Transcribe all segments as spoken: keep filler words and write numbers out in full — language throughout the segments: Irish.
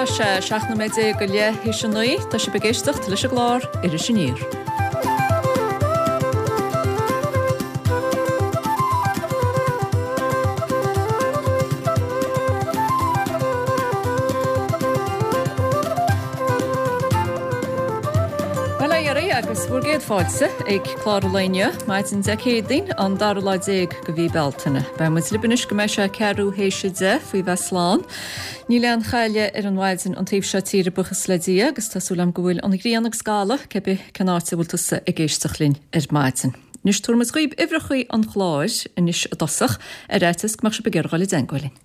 sé seacht nóiméad déag go leath théis a naoi, tá sibh ag éisteacht leis an gclár Iris Aniar. Bhuel a dheiridh agus bhur gcéad fáilte ag clár an lae inniu, maidin Dé Céadaoin, an dara lá déag de mhí Bealtaine. Beidh muid libh anois go mbeidh sé ceathrú théis a deich faoi bheith slán. Níl aon chailleadh ar an mhaidin an taobh seo tíre buíochas le Dia agus tá súil agam go bhfuil an ghrian agus gala cé bith cén áit a bhfuil tusa ag éisteacht linn ar maidin. Anois tabharfaidh muid dhaoibh uimhreacha an chláir anois i dtosach ar fhaitíos go mbeadh sibh ag iarraidh dul i dteangmháil linn.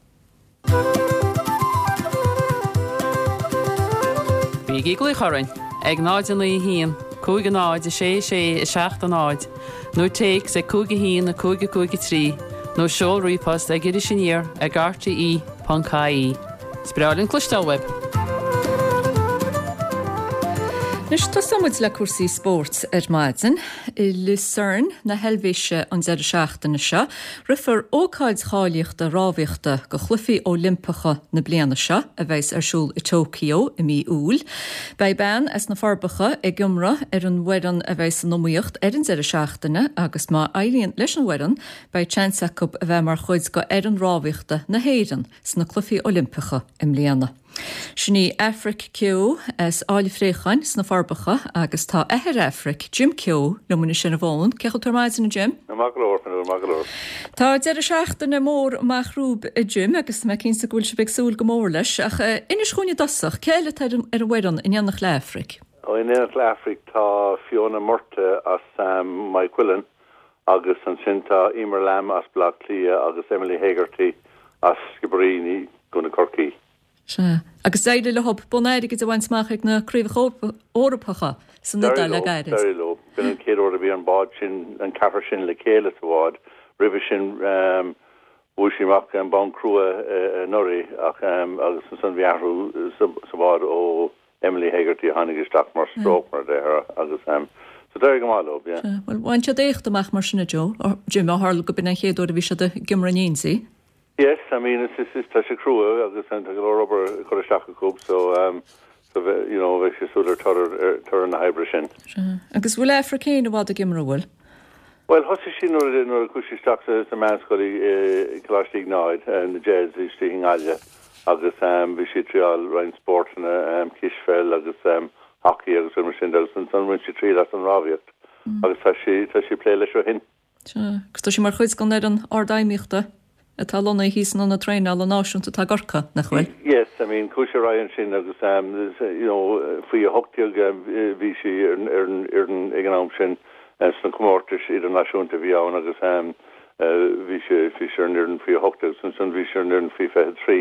Bígí ag glaoch orainn ag náid a naoi a haon, cúig a náid, a sé a sé, a seacht a náid, nó téacs ag cúig a haon, a cúig a cúig a trí, nó seol ríomhphost ag irisaniar ag rte ponc ie. Is breá linn cloisteáil uaibh! Anois tosóidh muid le cúrsaí spóirt ar maidin. I Lucerne na hEilvéise an deireadh seachtaine seo, rithfear ócáid cháilíochta rámhaíochta do Chluichí Oilimpeacha na bliana seo a bheas ar siúl i Tokyo i mí Iúil. Beidh bean as na Forbacha ag iomramh ar an bhfoireann a bheas san iomaíocht ar an deireadh seachtaine agus má éiríonn leis an bhfoireann, beidh seans acu a bheith mar chuid d'fhoireann rámhaíochta na hÉireann sna Cluichí Oilimpeacha i mbliana. Sin í Aifric Keogh as Áill Phréacháin sna Forbacha agus tá athair Aifric, Jim Keogh, liom anois ar an bhfón. Cén chaoi a bhfuil tú ar maidin, a Jim? Maith go leor, Fionnuala, maith go leor. Tá deireadh seachtaine mór amach romhaibh, a Jim, agus tá mé cinnte go bhfuil sibh ag súil go mór leis. Ach inis dhúinn i dtosach, cé eile atá ar an bhfoireann in éineacht le Aifric? Ó, in éineacht le Aifric tá Fiona Murtagh as Maigh Cuilinn agus ansin tá Emer Lambe as Baile Átha Cliath agus Emily Hegarty as Skibbereen i gContae Chorcaí. Sea. Agus d'éirigh leo bonn airgid a bhaint amach ag na Craobhacha Eorpacha san Iodáil le gairid. D'éirigh leo. B'in an chéad uair a bhí an bád sin, an ceathrar sin le chéile sa bhád. Roimhe sin bhuaigh siad amach an bonn crua anuraidh ach agus ansan bhí athrú sa bhád ó Emily Hegarty a tháinig isteach mar stroke mar a déarfá agus so d'éirigh go maith leo, yeah. Sea. Bhuel, bhain siad éacht amach mar sin a Joe, Jim, ó tharla go b'in an chéad uair a bhí siad ag iomramh in éindí. Yes, I mean it's it's it's tá sé crua agus tá go leor obair curtha isteach acu so um so you know bheidh sé súil ar toradh ar toradh na hoibre sin. Sea. Agus bhfuil Aifric féin i bhfad ag iomramh, bhfuil? Bhuel thosaigh sí nuair a nuair a chuaigh sí isteach sa sa meánscoil i i Coláiste Iognáid na Jez istigh i nGaillimh agus um bhí sí ag triáil roinnt spórtanna um cispheil agus um hockey agus rudaí mar sin de agus ansan bhain sí triail as an rámhaíocht agus tá sí tá sí ag plé leis ó shin. Sea. Agus tá sí mar chuid den fhoireann ardfheidhmíochta atá lonnaithe thíos san Ionad Traenála Náisiúnta atá i gCorcaigh, nach bhfuil? Yes, I mean, chuaigh sí ar aghaidh ansin agus um, you know, faoi a hocht déag um, bhí sí ar ar an fhoireann ag an am sin uh, sna comórtais idirnáisiúnta a bhí ann agus um, uh, bhí sí bhí sí ar an fhoireann faoi a hocht déag agus ansan bhí sí ar an fhoireann faoi fiche trí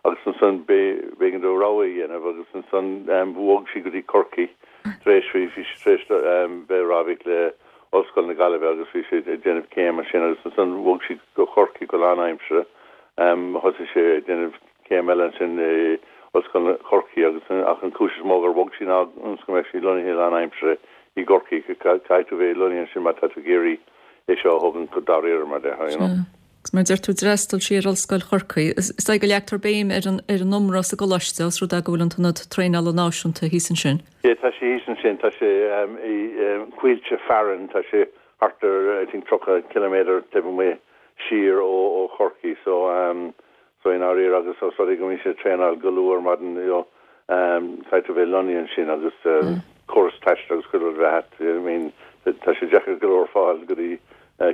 agus ansan b'éigean dó rogha a dhéanamh agus ansan um, bhog sí go dtí Corcaigh tar éis bhí sí tar éis um, bheith rámhaíocht le Ollscoil na Gaillimhe agus bhí sí ag déanamh céim ansin agus ansan bhog sí go Corcaigh go lánaimseartha. Um, thosaigh sí ag déanamh céim eile ansin i Ollscoil Chorcaí agus ach an chúis is mó gur bhog sí ná ionas go mbeadh sí lonnaithe lánaimseartha i gCorcaigh caithfidh tú bheith lonnaithe ansin má tá tú ag iarraidh é seo a thógaint go dáiríre mar déarfá, you know. Agus mar deir tú d'fhreastail sí ar Ollscoil Chorcaí. Is dóigh go leagtar béim ar an ar an iomramh sa gcoláiste os rud é go bhfuil an tIonad Traenála Náisiúnta thíos ansin. Yeah, tá sé thíos ansin, tá sé um, i um, Coillte Farren, tá sé thart ar I think tríocha ciliméadar taobh amuigh siar ó ó Chorcaí, so um, so i ndáiríre agus os rud é go mbíonn sé traenáil go luath ar maidin, you know, um, caithfidh tú bheith lonnaithe ansin agus uh, mm. córas taistil agus chuile rud bheith I mean, tá sé deacair go leor fáil go dtí an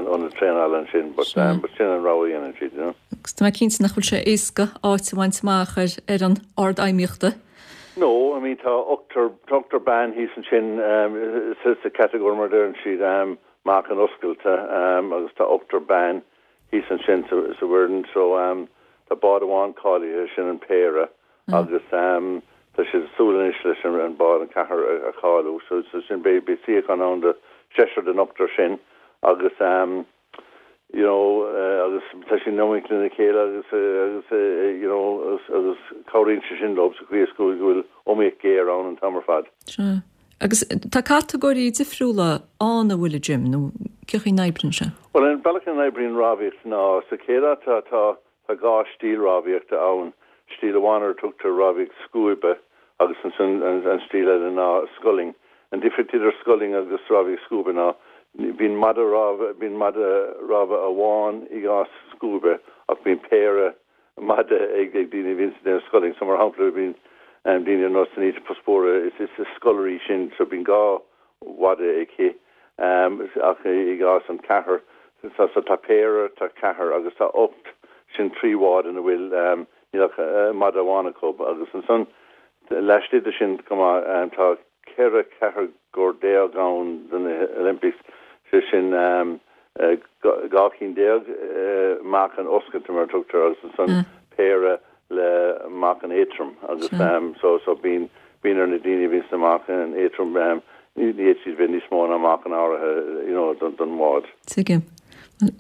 ionad traenála ansin, but but sin an rogha a dhéanann siad, you know. Agus tá mé cinnte nach bhfuil sé éasca áit a bhaint amach ar fhoireann ardfheidhmíochta. No, I mean tá ochtar tá ochtar bean thíos ansin sa sa catagóir mar a deireann siad um, meáchan oscailte um, agus tá ochtar bean thíos ansin sa sa bhfoireann so um, tá bád amháin cáilithe sin an péire agus um, tá siad ag súil anois leis an an bád an ceathar a cháiliú so so sin beidh beidh suíochán ann do seisear den ochtar sin agus um, you know uh, agus tá siad in iomaíocht lena chéile agus uh, agus uh, you know agus, agus cabhraíonn sé sin leo sa chaoi is go bhfuil iomaíocht ghéar ann an t-am ar fad. Sea. Agus tá catagóirí difriúla ann an bhfuil a Jim nó cén chaoi a n-oibríonn sé? Well an bealach a n-oibríonn rámhaíocht ná sa chéad áit tá tá tá dhá stíl rámhaíochta ann. stíl amháin ar a tugtar rámhaíocht scuaibe agus ansan an stíl eile ná sculling. An difríocht idir sculling agus rámhaíocht scuaibe ná bíonn mada rámha bíonn mada rámha amháin i gcás scuaibe ach bíonn péire mada ag ag daoine a bhíonn ag déanamh sculling. So mar shampla bíonn daoine ar nós Anita Puspure is is sculler í sin so bíonn dhá mhada aici ach i gcás an ceathair so so tá péire tá ceathair agus tá ocht sin trí bhád ina bhfuil níl ach mada amháin acu agus ansan laistigh de sin chomh maith tá ceithre chatagóir déag ann do na Olympics sé sin dhá cinn déag meáchan oscailte mar a tugtar agus ansan péire le meáchan éadrom agus so so bíonn bíonn ar na daoine a bhíonn sna meáchan éadrom ní fhéadfaidh siad bheith níos mó ná meáchan áirithe you know don don bhád. Tuigim.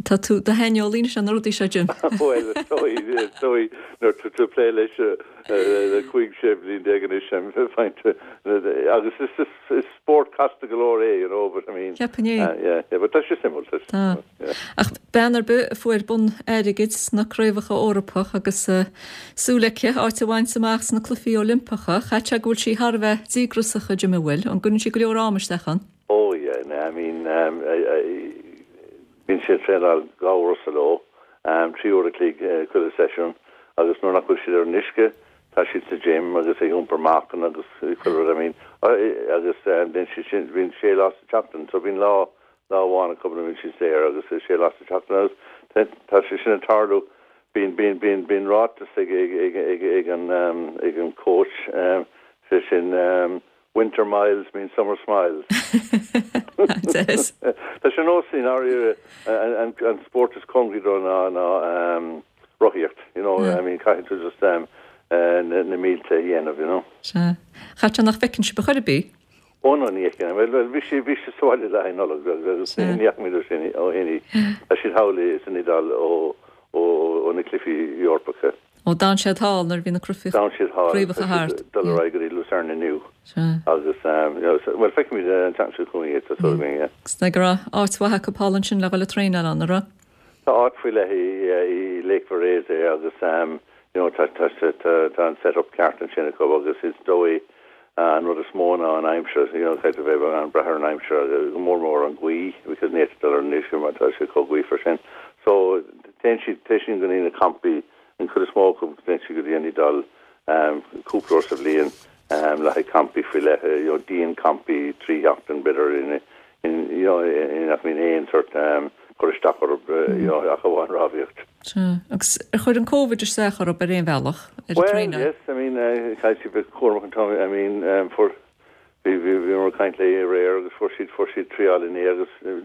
Tá tú i do shaineolaí anois ar na rudaí seo Jim. Bhuel is dóigh is dóigh nuair tá tú ag plé leis le cúig sé bliain déag anois agus is is is spórt casta go leor é you know but I mean Ceapaim é. yeah yeah but tá sé suimiúil tá Tá. Ach bean ar bith a fuair bonn airgid sna craobhacha Eorpach agus súil aici áit a bhaint amach sna Cluichí Oilimpeacha, chaithfeadh sé go bhfuil sí thar a bheith díograiseach Jim an bhfuil, an gcuireann sí go leor ama isteach ann? Oh yeah, no, I mean um, I, I, bíonn siad traenáil dhá uair sa ló, um, trí uair a chloig uh, chuile seisiún, agus nuair nach bhfuil siad ar an uisce, tá siad sa gym agus ag iompar meáchan agus chuile rud, I mean, agus um, bíonn siad sin bíonn sé lá sa tseachtain, so bíonn lá lá amháin acu bíonn siad saor agus sé lá sa tseachtain agus tá sé sin ag tarlú bíonn bíonn bíonn bíonn ráiteas ag ag ag ag ag an um, ag an coach um, sé sin um, winter miles mean summer smiles. Des. Tá sé nós in an an sport is cóngaraí dó ná ná um, rothaíocht, you know, I mean caithfidh tú just um, uh, na, na mílte a dhéanamh, you know. Sea. Chaithfeadh sé nach bhfeiceann sibh ar chor ar bith? Ó no ní fheiceann, well well bhí sí bhí sí sa bhaile le haghaidh Nollag agus ní ní fhaca muid sin ó shin í. Tá siad thall san Iodáil ó ó ó na Cluichí Eorpacha. Ó d'fhan siad thall nuair a bhí na craobhacha D'fhan siad thall craobhacha thart. dul ar aghaidh go dtí Lucerne inniu. Sea. Agus um, you know, so, well feicfimid an tseachtain seo chugainn iad, tá súil againn, yeah. Agus go raibh áit mhaith acu thall ansin le dhul ag traenáil ann, an raibh? Tá áit faoi leith i, i Lake Varese agus um, you know, tá, tá, tá, tá, tá an setup ceart ansin acu agus is dóigh uh, an rud is mó ná an aimsir, you know, caithfidh bheith an brath ar an aimsir agus go mór mór an ghaoth, because ní dul ar an uisce mar tá sé chomh gaofar sin. So téann siad téann siad go dtí na campaí an chuid is mó acu téann siad go dtí an Iodáil um, cúpla uair sa bhliain um, le haghaidh campaí faoi leith, you know, dianchampaí trí sheachtain b'fhéidir in, in, you know, in nach mbíonn aon sort um, cur isteach orthu, you know, ach amháin rámhaíocht. Sea. Agus ar chuir an Covid isteach orthu ar aon bhealach ar an Well, traenáil? yes, I mean, uh, caithfidh siad bheith cúramach an t-am, I mean, um, fuair bhí bhí bhí mar caint léi aréir agus fuair siad fuair siad triail inné agus uh,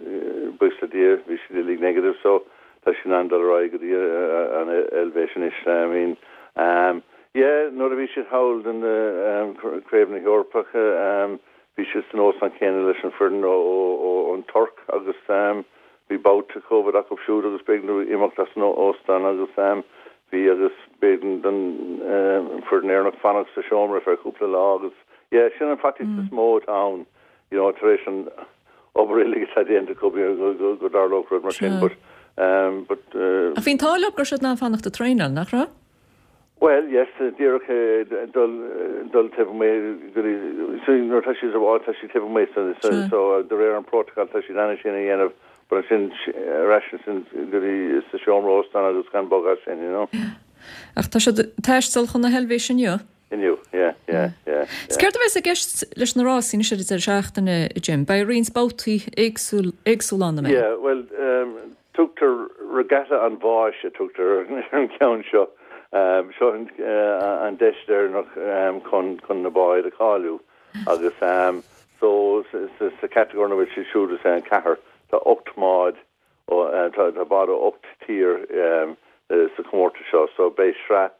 buíochas le Dia bhí siad uilig negative, so tá siad in ann dul ar aghaidh go dtí uh, an Eilvéis anois, I mean, um, yeah, nuair a bhí siad thall den um, Craobh na hEorpacha, um, bhí siad san óstán céanna leis an foireann ó ó ón Tuirc agus um, bhí babhta COVID acu siúd agus b'éigean dóibh imeacht as an óstán agus um, bhí agus b'éigean don um, foireann Éireannach fanacht sa seomra ar cúpla lá agus yeah, sin an faitíos is mó atá ann, you know, tar éis an obair uilig atá déanta acu go go go go dtarlódh rud mar sin, but um, but uh, Ach bhí an t-ádh leo go raibh siad in ann fanacht ag traenáil, nach raibh? Well, yes, díreach dul dul taobh amuigh go dtí so nuair tá siad sa bhád tá siad taobh amuigh so so Sure. so de réir an protocol tá siad in ann sin a dhéanamh but sin ar ais sin go dtí sa seomra óstán agus gan bogadh sin, you know. Ach tá siad ag taisteal chun na hEilvéise inniu? Inniu, yeah, yeah, yeah. Is céard a bheas i gceist leis na rásaí anois ar an deireadh seachtaine, Jim, Beidh roinnt babhtaí éagsúil éagsúil ann mé. Yeah, well, um, tugtar regatta an bháis a tugtar ar an ceann seo. Um, seo an, uh, an deis deireanach um, chun chun na báid a cháiliú agus um, so sa, sa, sa catagóir ina bhfuil siad siúd is é an ceathair tá ocht mbád ó uh, tá tá báid ó ocht tír um, uh, sa comórtas seo so beidh sraith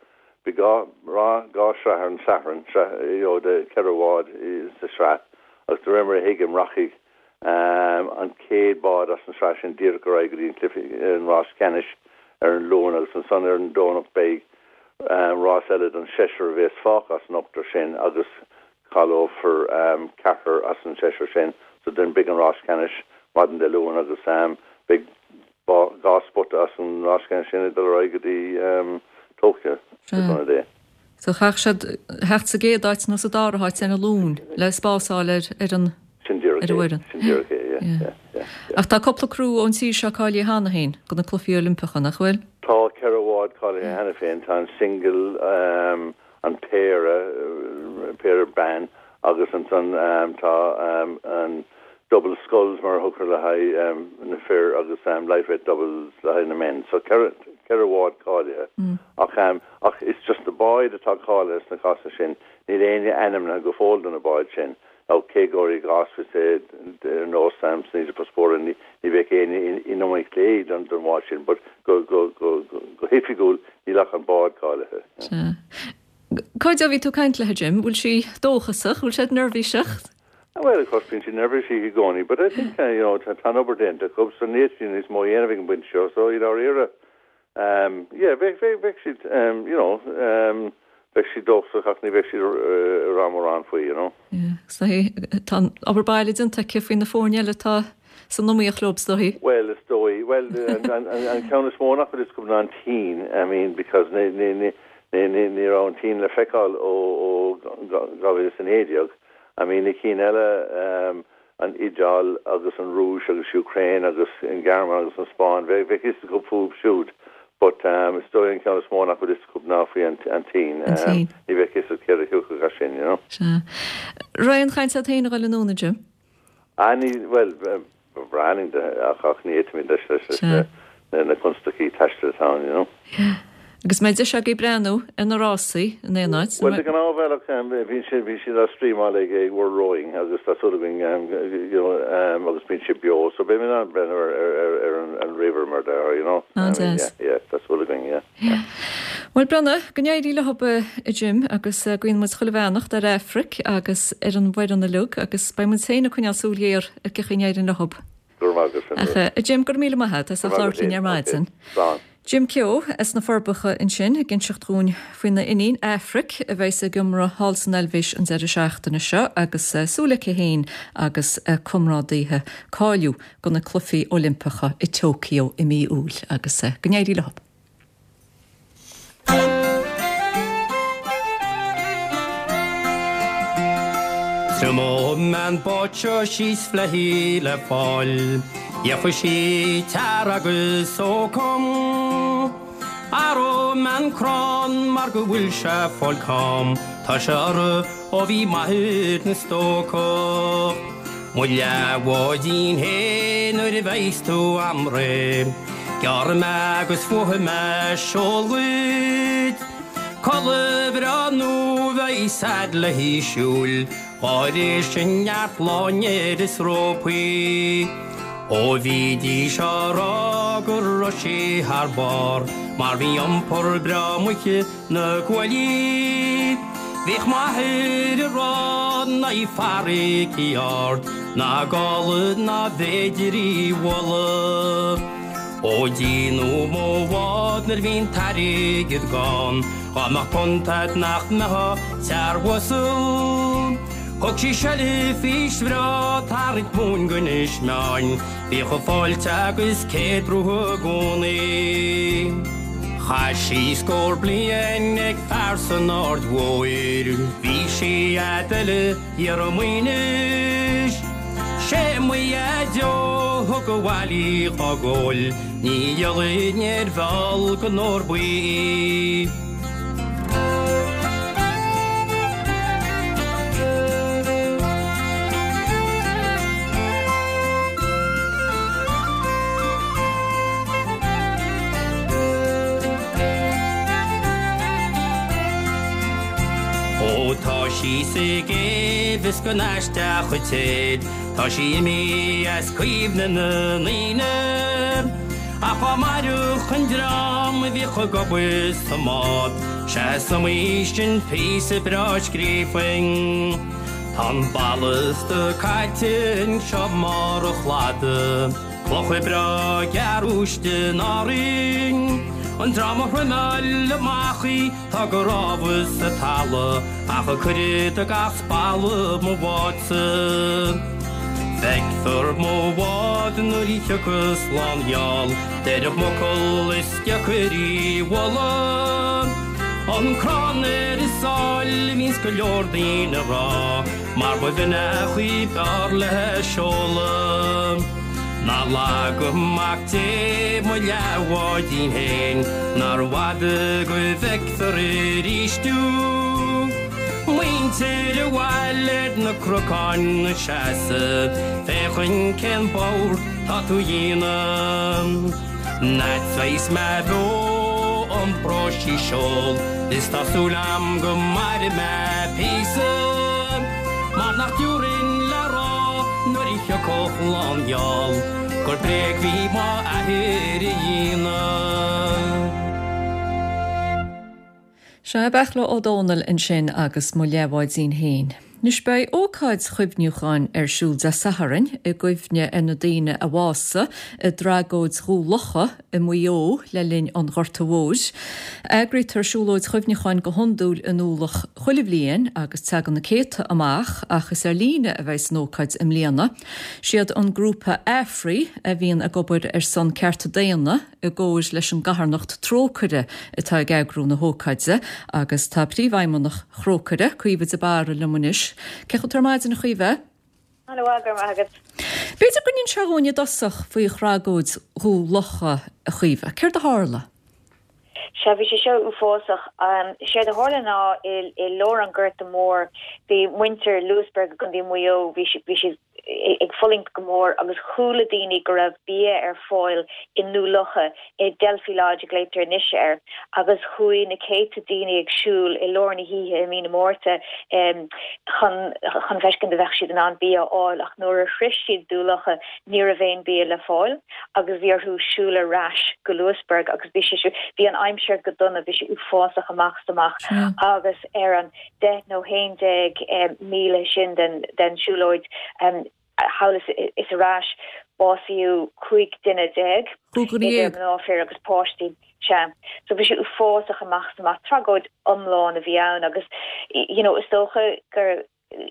Bhí dhá rá dhá sraith ar an Satharn sraith you know, de ceithre bhád sa sraith agus de réir mar a thuigim rachaidh um, an chéad bád as an sraith sin díreach ar aghaidh go dtí an cluiche an rás ceannais ar an Luan agus ansan ar an Domhnach beidh um, rás eile don seisear a bheas fágtha as an ochtar sin agus cáileofar um, ceathrar as an seisear sin so then beidh an rás ceannais maidin Dé Luain agus um, beidh dhá spota as an rás ceannais sin ag dul ar aghaidh go dtí um, Tokyo Sea. dé. So chaithfeadh siad theacht sa gcéad áit nó sa dara háit ar an Luan le spás a fháil ar ar an Sin díreach ar an é. bhfoireann. Sin díreach é, yeah, Yeah. yeah, yeah, yeah. Ach tá cúpla criú ón tír seo cáilithe cheana féin do na Cluichí Oilimpeacha, nach bhfuil? Tá ceithre bhád cáilithe cheana féin, tá an single, um, an péire, uh, péire ban agus ansan um, tá um, an double sculls mar a thugtar le haghaidh um, na fir agus um, lightweight doubles le haghaidh na men. So ceithre ceithre bhád cáilithe. Mm. Ach um, ach it's just na báid atá cáilithe sna cásanna sin, níl aon ainmnithe go fóill do na báid sin. Nó cé gur i gcás ar nós um, sna Paspóra ní ní bheadh aon in iomaíocht léi don don bhád sin, but go go go go go hoifigiúil níl ach an bád cáilithe. Sea. Cá fhad ó bhí tú ag caint léi, Jim, bhfuil sí dóchasach, bhfuil siad neirbhíseach? Well, of course, bíonn siad neirbhíseach i gcónaí, but I think uh, you know, tá tá an obair déanta acu, so níl siad níos mó a dhéanamh ag an bpointe seo, so i ndáiríre, um, yeah, bheadh bheadh bheadh siad, um, you know, um, bheadh siad dóchasach ach ní bheadh siad uh, rá mórán faoi, you know. Yeah, so tá an obair baile déanta aici faoi na foirne eile atá san iomaíocht leo is dóigh. Well, is dóigh, well, an, an, an, an ceann is mó nach bhfuil a fhios acu ná an tSín, I mean, because ní ní ní ní ní ní raibh an tSín le feiceáil ó ó dhá mhíle is a naoi déag. I mean, na cinn eile um, an Iodáil agus an Rúis agus Ukraine agus an Ghearmáin agus an Spáinn, bheadh bheadh fhios acu fúthu siúd. But um, is dóigh an ceann is mó nach bhfuil fhios acu ná faoi an, an tSín. An tSín. Um, ní bheadh fhios acu céard a thiocfadh as sin, you know. Sea. Raibh aon chaint agat féin a dhul anonn, Jim? Ah, ní, well, ba bhreá linn de ach ach ní fhéadfaimid leis leis leis Sea. na na constaicí taistil atá ann, you know. Agus mbeidh deis agaibh breathnú ar na rásaí in aon áit. Well, de ghnáthbhealach um, bhíonn siad bhí siad á streamáil ag ag World Rowing agus tá súil againn um, you know, um, agus bíonn siad beo, so beidh mé in ann breathnú ar ar ar ar an an ríomhaire mar there, you know. Ah, I mean, deas. yeah, yeah, tá súil againn, yeah. Yeah. Well Breandán, go n-éirí leo a Jim agus uh, guíonn muid chuile bheannacht ar Aifric agus ar an bhfoireann uilig agus beidh muid féin ag coinneáil súil ghéar ar cén chaoi a n-éiríonn leo. Go raibh maith agat, Ach uh, a Jim go raibh míle maith agat as labhairt linn ar maidin. Slán. Jim Keogh as na Forbacha ansin ag inseacht dúinn faoina iníon Aifric a bheas ag iomramh thall san Eilvéis an deireadh seachtaine seo agus uh, súil aici féin agus uh, comrádaithe cáiliú do na Cluichí Oilimpeacha i Tokyo i mí Iúil agus uh, go n-éirí leo. Triomaíonn an bád seo síos flathaí le fáil, Gheobhaidh sí tear agus sócam. Athróidh mé an crann mar go bhfuil sé ag fáil cam, Tá sé orthu ó bhí m'athair ina stócach. Mo leathbháidín fhéin nuair a bheas tú a'm réidh, Gearrfaidh mé agus fuathfaidh mé seol dhuit. Culaith bhreá nua a bheas a'd léi siúl, Dhá sin neart láinnéir is rópaí. Ó bhídís á rá go raibh sí thar barr, mar bhí iompar breá muice na cuaillí. Bhíodh m'athair ag rá nach í farraige ard, ná gála ná b'fhéidir í bhualadh. Ó díonadh mo bhád nuair a bhí an t-airgead gann, Dhá mbeadh punt a'd nach mbeifeá searbh-uasal. Thug sí seilbh fís bhreá tarraingt mún go Inis Meáin, Bhíodh a fáilte agus céad rompu i gcónaí. Chaith sí scór bliain ag fear san Aird Mhóir, Bhí sí fhad eile thiar i Maínis. Sé mo dhaideo a thug abhaile í dhá gcóil, Ní dhíolfainn ar mheall den ór buí í. Ó tá sí sa gcéibh is go n-aisteach an téad, Tá sí imithe as cuimhne na ndaoine. Ach dá mairfeadh an dream a bhíodh ag obair sa mbád, Sea is iomaí sin píosa breá a scríofainn. Tá an ballasta caite anseo i mbarr an chladaigh, Clocha breá gearr-uisce in Árainn. An dream a throimeáil amach í tá go rámha sa talamh, Ach a cuireadh do gach spalla mo bhádsa. Feicfear mo bhád nuair a thiocfas lá an gheal, Deireadh m'fhocal is deacair í mholadh. An crann ar an sáile bhíonns go leor daoine a rá Mar ba bhinn a chaoi b'fhearr le seoladh Ná laga Mac Dé mo leathbháidín fhéin Nár bhfada go bhfeicfear arís thú Muintir an bhaile ar na cnocáin ina seasamh Féachaint cén bord tá tú a dhéanamh An fhad is bheas mé beo iompróidh sí seol Is tá súil a'm go mairfidh mé píosa Mar nach dtiúrfainn le rá nuair a thiocfadh lá an gheal Gur bréag bhí m'athair a dhéanamh. Sea, Beartla Ó Domhnaill ansin agus Mo Leathbháidín Féin. Anois beidh ócáid chuimhniúcháin ar siúl Dé Sathairn i gcuimhne ar na daoine a bhásaigh i dtragóid Dhún Locha i Maigh Eo le linn an Ghorta Mhóir. Eagraítear siúlóid chuimhneacháin go hiondúil i nDún Locha chuile bhliain agus tagann na céadta amach ach is ar líne a bheidh an ócáid i mbliana. Siad an grúpa AFRI a bhíonn ag obair ar son cearta daonna i gcomhar leis an gcarthanacht Trócaire atá ag eagrú na hócáide agus tá príomhfheidhmeannach Thrócaire Caoimhe de Barra liom anois. Cén chaoi ar maidin a Chaoimhe? Hello go maith agat. B'fhéidir go n-inseofá dúinn i dtosach faoi thragóid Dhún Locha a Chaoimhe, Céard a tharla? Sea bhí sé seo uafásach. Séard a tharla ná i i lár an Ghorta Mhóir bhí muintir Louisburgh i gContae Mhaigh Eo bhí bhí siad ag fulaingt go mór agus chuala daoine go raibh bia ar fáil i nDún Locha i Delphi Lodge a glaotar anois air agus chuaigh na céadta daoine ag siúl i lár na hoíche i mí na Márta um, chun chun feiscint an mbeadh siad in ann bia a fháil ach nuair a shroich siad Dún Locha ní raibh aon bia le fáil agus bhí orthu siúl ar ais go Louisburgh agus bhí sé bhí an aimsir go dona bhí sé uafásach amach amach agus ar an deich nó haon déag um, míle sin den den siúlóid um, thall is ar ais básaíodh cúig duine déag mná fir agus páistí sea so bhí sé uafásach amach amach tragóid iomlán a bhí ann agus you know is dócha gur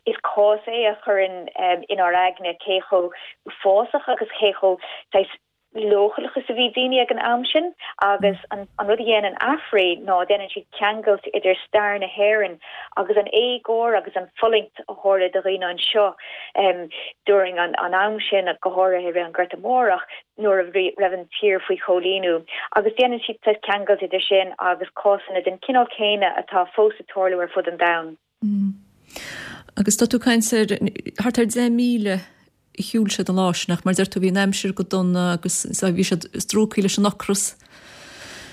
is cás é a chuireann um, inár aigne cé chomh uafásach agus cé chomh leochaileach is a bhí daoine ag an am sin agus an, an rud a dhéanann AFRI ná déanann siad ceangailt idir stair na hÉireann agus an éagóir agus an fulaingt a tharla do dhaoine anseo um, during an, an am sin go háirithe an Gorta Mór ach nuair a raibh an tír faoi choilíniú agus déanann siad ceangailt idir sin agus cásanna den cineál céanna atá fós ag tarlú ar fud an domhain. Mm. Agus tá tú caint ar thart ar deich míle shiúil siad an lá sin nach mar deir tú bhí an aimsir go dona agus bhí siad strúcaí leis an ocras.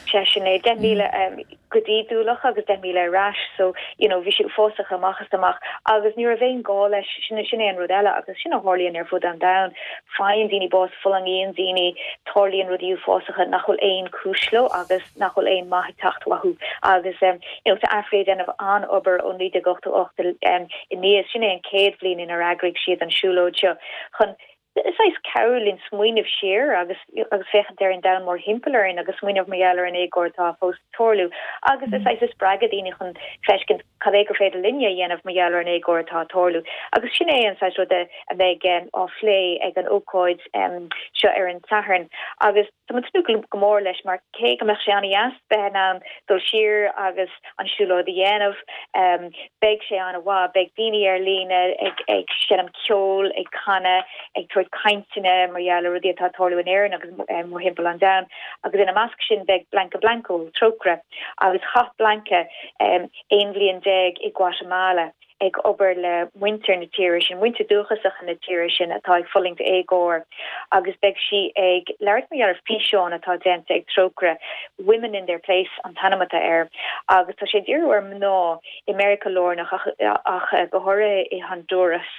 Sé sin é deich míle um, go dtí Dún Locha agus deich míle ar ais so you know bhí sé uafásach amach is amach agus ní raibh aon gá leis sin sin é an rud eile agus sin a tharlaíonn ar fud an domhain faigheann daoine bás fulaingíonn daoine tarlaíonn rudaí uafásacha nach bhfuil aon chúis leo agus nach bhfuil aon maith ag teacht uathu agus um, you know, tá AFRI ag déanamh an-obair ó naoi déag ochtó ocht um, aníos sin é an chéad bhliain inar eagraigh siad an siúlóid seo chun saghas cabhrú linn smaoineamh siar agus agus féachaint ar an domhan mórthimpeall orainn agus smaoineamh mar gheall ar an éagóir atá fós ag tarlú agus is saghas spreagadh daoine chun feiscint cad é gur féidir linne a dhéanamh mar gheall ar an éagóir atá ag tarlú agus sin é an saghas rud a bheidh um, á phlé ag an ócáid um, seo ar an Satharn agus Tá mé ag tnúth go mór leis mar cé go mbeadh sé an-deas bheith in ann dul siar agus an siúlóid a dhéanamh um, beidh sé an-mhaith, beidh daoine ar líne ag ag seinm ceol, ag canadh, ag tabhairt cainteanna mar gheall ar rudaí atá ag tarlú in Éirinn agus um, mórthimpeall an domhain agus ina measc sin beidh Blanca Blanco Trócaire agus chaith Blanca um, aon bhliain déag i Guatemala ag obair le muintir na tíre sin muintir dúchasach na tíre sin atá ag fulaingt éagóir agus beidh sí ag labhairt mar ar físeán atá déanta ag Trócaire Women in their place an t-ainm atá air agus tá sé dírithe ar mná i Meiriceá Lárnach ach, ach go háirithe i Honduras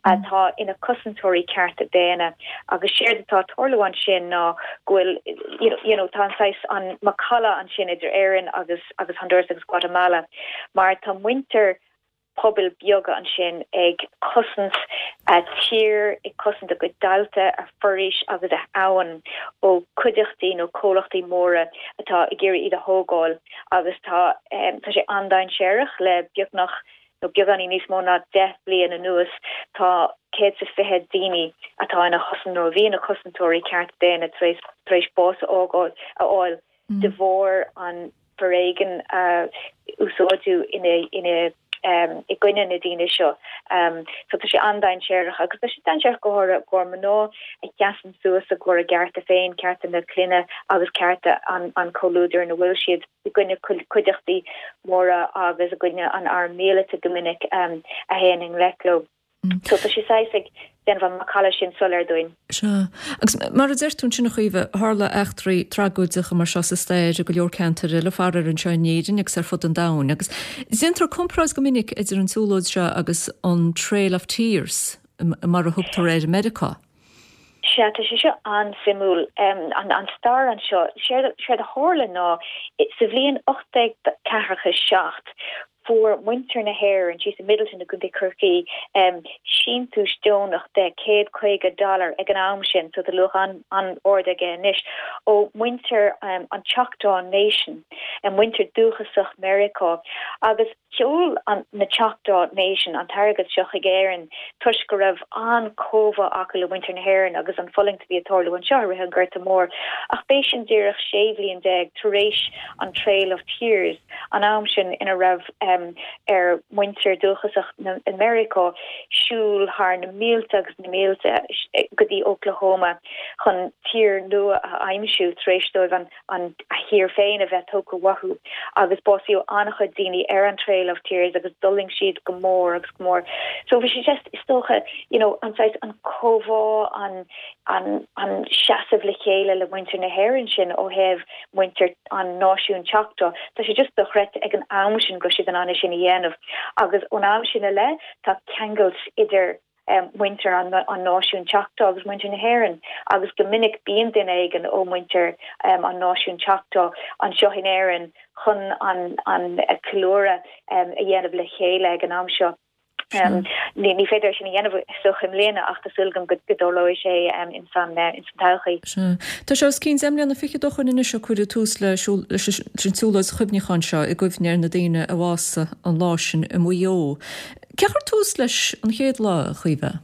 atá ina cosantóirí cearta daonna agus séard atá ag tarlú ansin ná go bhfuil you know, you know, tá an saghas an macalla ansin idir Éirinn agus agus Honduras agus Guatemala mar tá muintir pobail beaga ansin ag cosaint a tír ag cosaint a gcuid tailte a foraois agus a abhainn ó cuideachtaí nó comhlachtaí móra atá ag iarraidh iad a thógáil agus tá um, tá sé an-dainséarach le beagnach nó beagáinín níos mó ná deich bliain anuas tá céad is fiche daoine atá ina chosan nó bhí ina cosantóirí ceart daonna tar éis tar éis bás a fháil a fháil de bharr an foréigean uh, úsáideadh ina ina um, i gcoinne na daoine seo. Um, so tá sé an-dainséarach agus tá sé dainséarach go háirithe i gcomhair mná a sheasann suas i gcomhair a gcearta féin, cearta na clainne agus cearta an, an comhluadair ina bhfuil siad i gcoinne cuideachtaí móra agus i gcoinne an arm míleata go minic um, a théann i ngleic leo. So tá sé saghas ag déanamh an macalla sin soiléir dúinn. Sea. Agus mar a deir tú ansin a Chaoimhe, tharla eachtraí tragóideacha mar seo sa stair i go leor ceantar eile, faraor anseo in Éirinn agus ar fud an domhain. Agus déantar comparáid go minic idir an tsiúlóid seo agus an Trail of Tears, mar a thugtar air i Meiriceá. Sea, tá sé seo an-suimiúil. An an stair anseo, séard séard a tharla ná sa bhliain ocht déag ceathracha seacht, fuair muintir na hÉireann síos i Midleton i gContae Chorcaí síntiús deonach de céad caoga dollar ag an am sin, so tá luach an-ard aige anois, ó mhuintir an Choctaw Nation, muintir dúchasach Meiriceá. Agus sheol na Choctaw Nation an t-airgead seo chuig Éirinn toisc go raibh an-chomhbhá acu le muintir na hÉireann agus an fulaingt a bhí ag tarlú anseo i rith an Ghorta Mhóir. Ach b'é sin díreach sé bhliain déag tar éis an Trail of Tears, an am sin ina raibh ar mhuintir dúchasach na Meiriceá siúl thar na mílte agus na mílte go dtí Oklahoma chun tír nua a aimsiú tar éis dóibh an an a thír féin a bheith tógtha uathu agus básaíodh an-chuid daoine ar an Trail of Tears agus d'fhulaing siad go mór agus go mór. So bhí sé just is dócha you know an saghas an comhbhá an an an seasamh le chéile le muintir na hÉireann sin ó thaobh muintir an náisiún Choctaw. Tá sé just dochreidte ag an am sin go raibh siad in ann é sin a dhéanamh agus ón am sin i leith tá ceangailt idir muintir an náisiún Choctaw agus muintir na hÉireann agus go minic bíonn duine éigin ó mhuintir an náisiún Choctaw anseo in Éirinn chun an an ceiliúradh a dhéanamh le chéile ag an am seo. Ní ní féidir sin a dhéanamh is dócha i mbliana ach tá súil agam go dtarlóidh sé in san in san todhchaí. Sea. Tá sé os cionn deich mbliana fichead ó shoin anois ó cuireadh tús leis leis an tsiúlóid chuimhneacháin seo i gcuimhne ar na daoine a bhásaigh an lá sin i Maigh Eo. Cé a chuir tús leis an chéad lá, a Chaoimhe?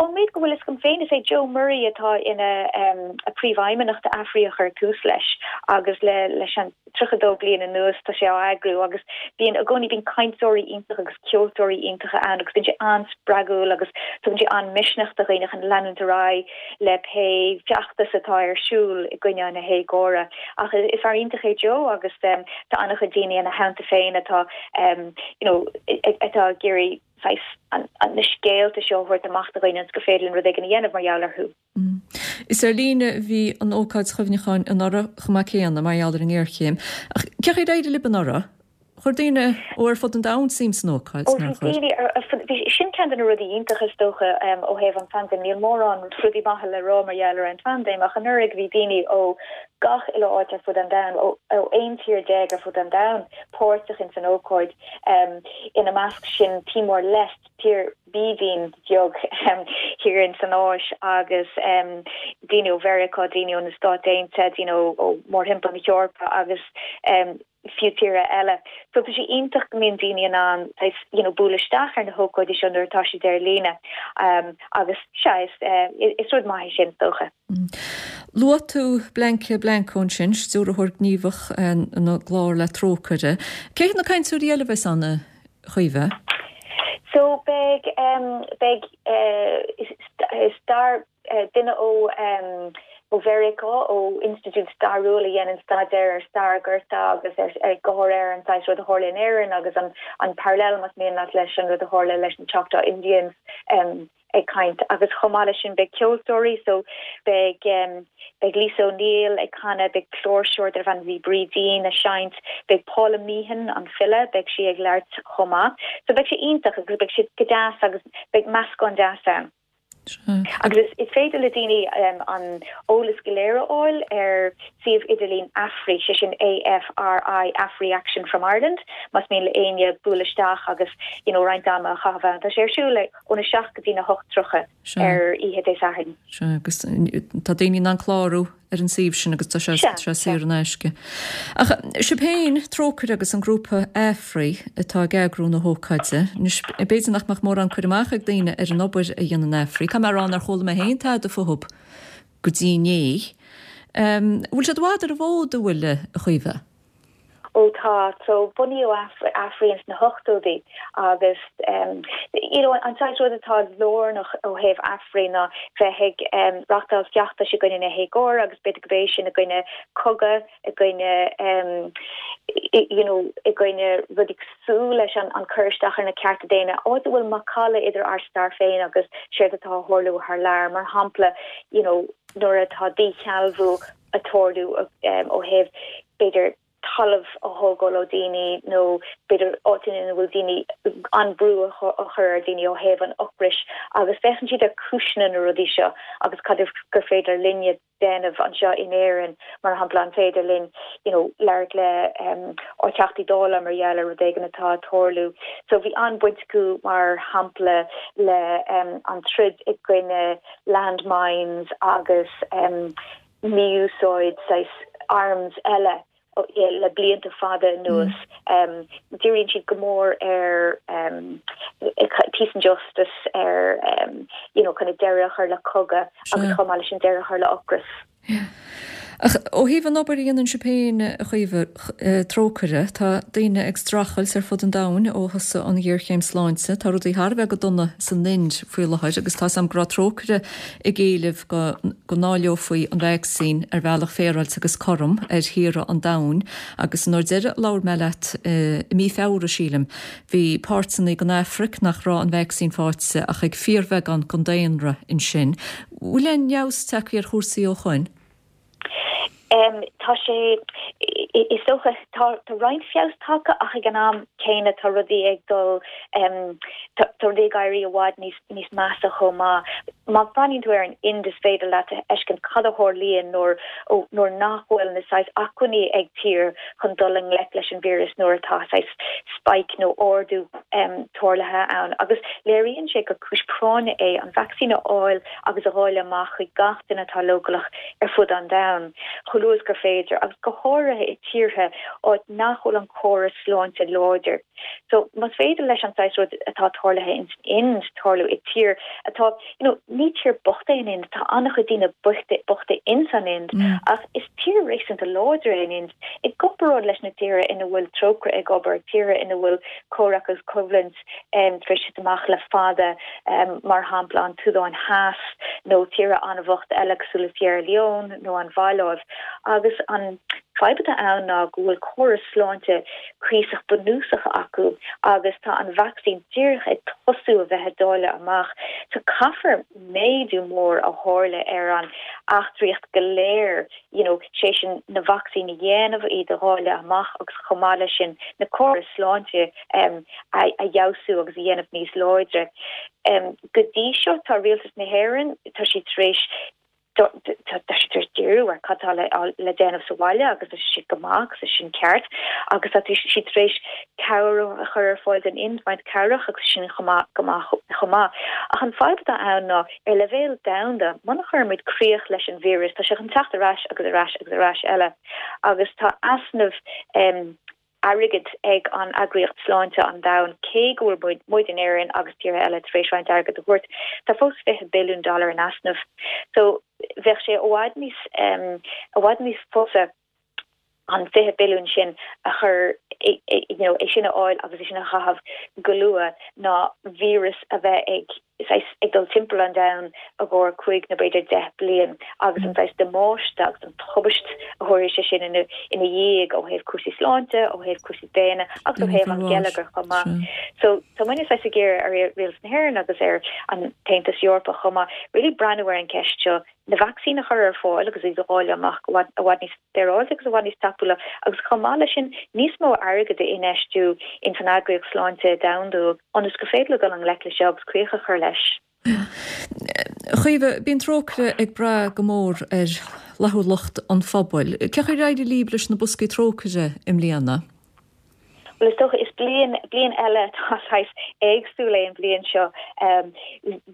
Ón méid go bhfuil fhios agam féin, is é Joe Murray atá ina phríomhfheidhmeannach d'AFRI a chuir tús leis agus le leis an tríocha dó bliain anuas tá sé á eagrú agus bíonn i gcónaí bíonn cainteoirí iontacha agus ceoltóirí iontacha ann agus bíonn sé an-spreagúil agus tugann sé an-misneach do dhaoine chun leanúint ar aghaidh le pé feachtas atá ar siúl i gcoinne na héagóra. Ach is fear iontach é Joe agus tá an-chuid daoine ina theannta féin atá you know atá ag iarraidh saghas na scéalta seo a thabhairt amach do dhaoine ionas gur féidir linn rud éigin a dhéanamh mar gheall orthu. Is ar líne a bhí an ócáid chuimhneacháin anuraidh chomh maith céanna mar gheall ar an ngéarchéim. Ach cén chaoi ar éirigh libh anuraidh? Chuir daoine ó ar fud an domhain suim san ócáid, Ó nár bhí chuir? daoine ar fud, bhí, sin ceann de na rudaí iontacha is dócha ó thaobh an phaindéim. Níl mórán rudaí maithe le rá mar gheall ar an phaindéim ach anuraidh bhí daoine ó gach uile áit ar fud an domhain, ó aon tír déag ar fud an domhain, páirteach ins an ócáid, ina measc sin Timor Leste, tír bídín bheag thiar ins an Áis, agus daoine ó Mheiriceá, daoine ó na Stáit Aontaithe, daoine ó mórthimpeall na hEorpa agus fiú tíortha eile. So tá sé iontach go mbíonn daoine in ann saghas you know bualadh isteach ar na hócáidí seo nuair atá siad ar líne agus sea is is rud maith é sin is dócha. Luaigh tú Blanca Blanco ansin, stiúrthóir gníomhach na gclár le Trócaire. Cé hiad na cainteoirí eile a bheas ann, a Chaoimhe? So beidh beidh stair duine ó ó Mheiriceá, ó institiúid stairiúil a dhéanann staidéar ar stair an Ghorta agus ar go háirithe ar an saghas rud a tharla in Éirinn agus an an parallel más mian leat leis an rud a tharla leis na Choctaw Indians ag caint. Agus chomh maith leis sin beidh ceoltóirí so beidh beidh Lisa O'Neill ag canadh, beidh cláirseoir darbh ainm di Brídín ag seinnt, beidh Paula Meehan, an file, beidh sí ag labhairt chomh maith. So beidh sé iontach agus beidh sé go deas agus beidh meascán deas ann. Agus is féidir le daoine an eolas go léir a fháil ar suíomh idirlín AFRI, sé sin AFRI, AFRI Action from Ireland, más mian le éinne bualadh isteach agus you know roinnt ama a chaitheamh ann. Tá sé ar siúl óna seacht go dtí na hocht tríocha ar oíche Dé Sathairn. Sea, agus tá daoine in ann clárú ar an suíomh sin agus tá sé saor in aisce. Ach sibh féin, Trócaire agus an grúpa AFRI atá ag eagrú na hócáide. Anois, b'fhéidir nach mbeadh mórán cur amach ag daoine ar an obair a dhéanann AFRI. Caithfidh mé a rá nár chuala mé féin tada fúthu go dtí inné. Bhfuil siad i bhfad ar an bhfód, an bhfuil, a Chaoimhe? Ó Ó tá, so bunaíodh AFRI ins na hochtóidí agus um, you know, an saghas rud atá lárnach ó thaobh AFRI ná bheith ag um, reáchtáil feachtais i gcoinne na héagóra agus b'fhéidir gurb é sin i gcoinne cogadh, i gcoinne um, you know, i gcoinne rudaí cosúil leis an, an cur isteach ar na cearta daonna, áit a bhfuil macalla idir ár stair féin agus séard atá ag tarlú thar lear, mar shampla, you know, nuair atá díshealbhú ag tarlú um, ó thaobh b'fhéidir talamh a thógáil ó daoine nó b'fhéidir áiteanna ina bhfuil daoine an brú a chur ar daoine ó thaobh an ocrais agus féachann siad ar cúiseanna na rudaí seo agus cad gur féidir linne déanamh anseo in Éirinn mar shampla an féidir linn you know, labhairt le um, ár dTeachtaí Dála mar gheall ar rud éigin atá ag tarlú. So bhí an-bhaint acu mar shampla le um, an troid i gcoinne landmines agus um, mí-úsáid arms eile le blianta fada anuas. Mm. Um, Díríonn siad go mór ar um, peace and justice ar um, you know, kind of deireadh a chur le cogadh agus chomh maith leis an deireadh a chur le ocras. Yeah. Ach ó thaobh an obair a dhéanann sibh féin a Chaoimhe Trócaire, tá daoine ag streachailt ar fud an domhain ó thosaigh an ghéarchéim sláinte. Tá rudaí thar a bheith go dona san Ind faoi láthair agus tá am go raibh Trócaire ag éileamh go go ndáileofaí an vacsaín ar bhealach féaráilte agus cothrom ar thíortha an domhain agus an uair deireadh a labhair mé leat i mí Feabhra sílim bhí páirteanna den Afraic nach raibh an vacsaín faighte ach ag fíorbheagán den daonra ansin. Bhfuil aon fheabhas tagtha ar chúrsaí ó shoin? Um, tá sé is dócha tá tá roinnt feabhas tagtha ach ag an am céanna tá rudaí ag dul um, tá rudaí ag éirí i bhfad níos níos measa chomh maith. Má bhreathnaíonn tú ar an Ind is féidir leat a fheiscint cad a tharlaíonn nuair nuair nach bhfuil na saghas acmhainní ag tír chun dul i ngleic leis an víreas nuair atá saghas spike nó ardú um, tarlaithe ann. Agus léiríonn sé gur cúis práinne é an vacsaín a fháil agus a dháileadh amach chuig gach duine atá leochaileach ar fud an domhain. Chomh luath is gur féidir agus go háirithe i tíortha áit nach bhfuil an córas sláinte láidir. So más féidir leis an saghas rud atá tarlaithe in Ind tarlú i tír atá you know, ní tír bocht é an Ind tá an-chuid daoine bochta bochta in san Ind mm. ach is tír réasúnta láidir é an Ind i gcomparáid leis na tíortha ina bhfuil Trócaire ag obair tíortha ina bhfuil comhrac agus coimhlint um, tar éis amach le fada um, mar shampla an tSúdáin Theas nó tíortha an-bhocht eile cosúil le Sierra Leone nó an Mhaláiv agus an fadhb atá ann ná go bhfuil córas sláinte cuíosach bunúsach acu agus tá an vacsaín díreach ag tosú a bheith dáilte amach. So caithfear méadú mór a tharla ar an eachtraíocht go léir you know, sé sin na vacsaíní a dhéanamh iad a dháileadh amach agus chomh maith leis sin na córas sláinte um, a, a fheabhsú agus a dhéanamh níos láidre. Um, go dtí seo tá rialtas na hÉireann tá siad tar éis tá siad tar éis díriú ar cad tá le le déanamh sa bhaile agus tá siad go maith agus sin ceart agus tá siad tar éis cabhair a chur ar fáil don Ind roinnt cabhrach agus sin go maith chomh maith. Ach an fadhb atá ann ná ar leibhéal domhanda muna gcuirimid críoch leis an víreas tá sé chun teacht ar ais agus ar ais agus ar ais eile agus tá easnamh um, airgid ag an Eagraíocht Sláinte an Domhain cé go bhfuil muid in Éirinn agus tíortha eile tar éis roinnt airgid a thabhairt tá fós fiche billiún dollar in easnamh. So bheadh sé i bhfad níos um, i bhfad níos fusa an fiche billiún sin a chur you know, é sin a fháil agus é sin a chaitheamh go luath ná víreas a bheith ag ag dul timpeall an domhain i gcomhair cúig nó b'fhéidir deich bliain agus an saghas damáiste agus an tubaist a thabharfaidh sé sin ina ina dhiaidh ó thaobh cúrsaí sláinte, ó thaobh cúrsaí daonna agus ó thaobh an geilleagar chomh maith. So tá muid saghas ag iarraidh ar rialtas na hÉireann agus ar an tAontas Eorpach chomh maith really breathnú ar an ceist seo na vacsaíní a chur ar fáil agus iad a dháileadh amach i bhfad níos féaráilte agus i bhfad níos tapúla agus chomh maith leis sin níos mó airgid a infheistiú in san Eagraíocht Sláinte Domhanda ionas gur féidir leo dul i ngleic leis seo agus críoch a chur leis. Chaoimhe, bíonn Trócaire ag brath go mór ar fhlaithiúlacht an phobail. Cén chaoi ar éirigh libh leis na boscaí Trócaire i mbliana? Well is dócha is bliain bliain eile atá saghas éagsúil é an bhliain seo.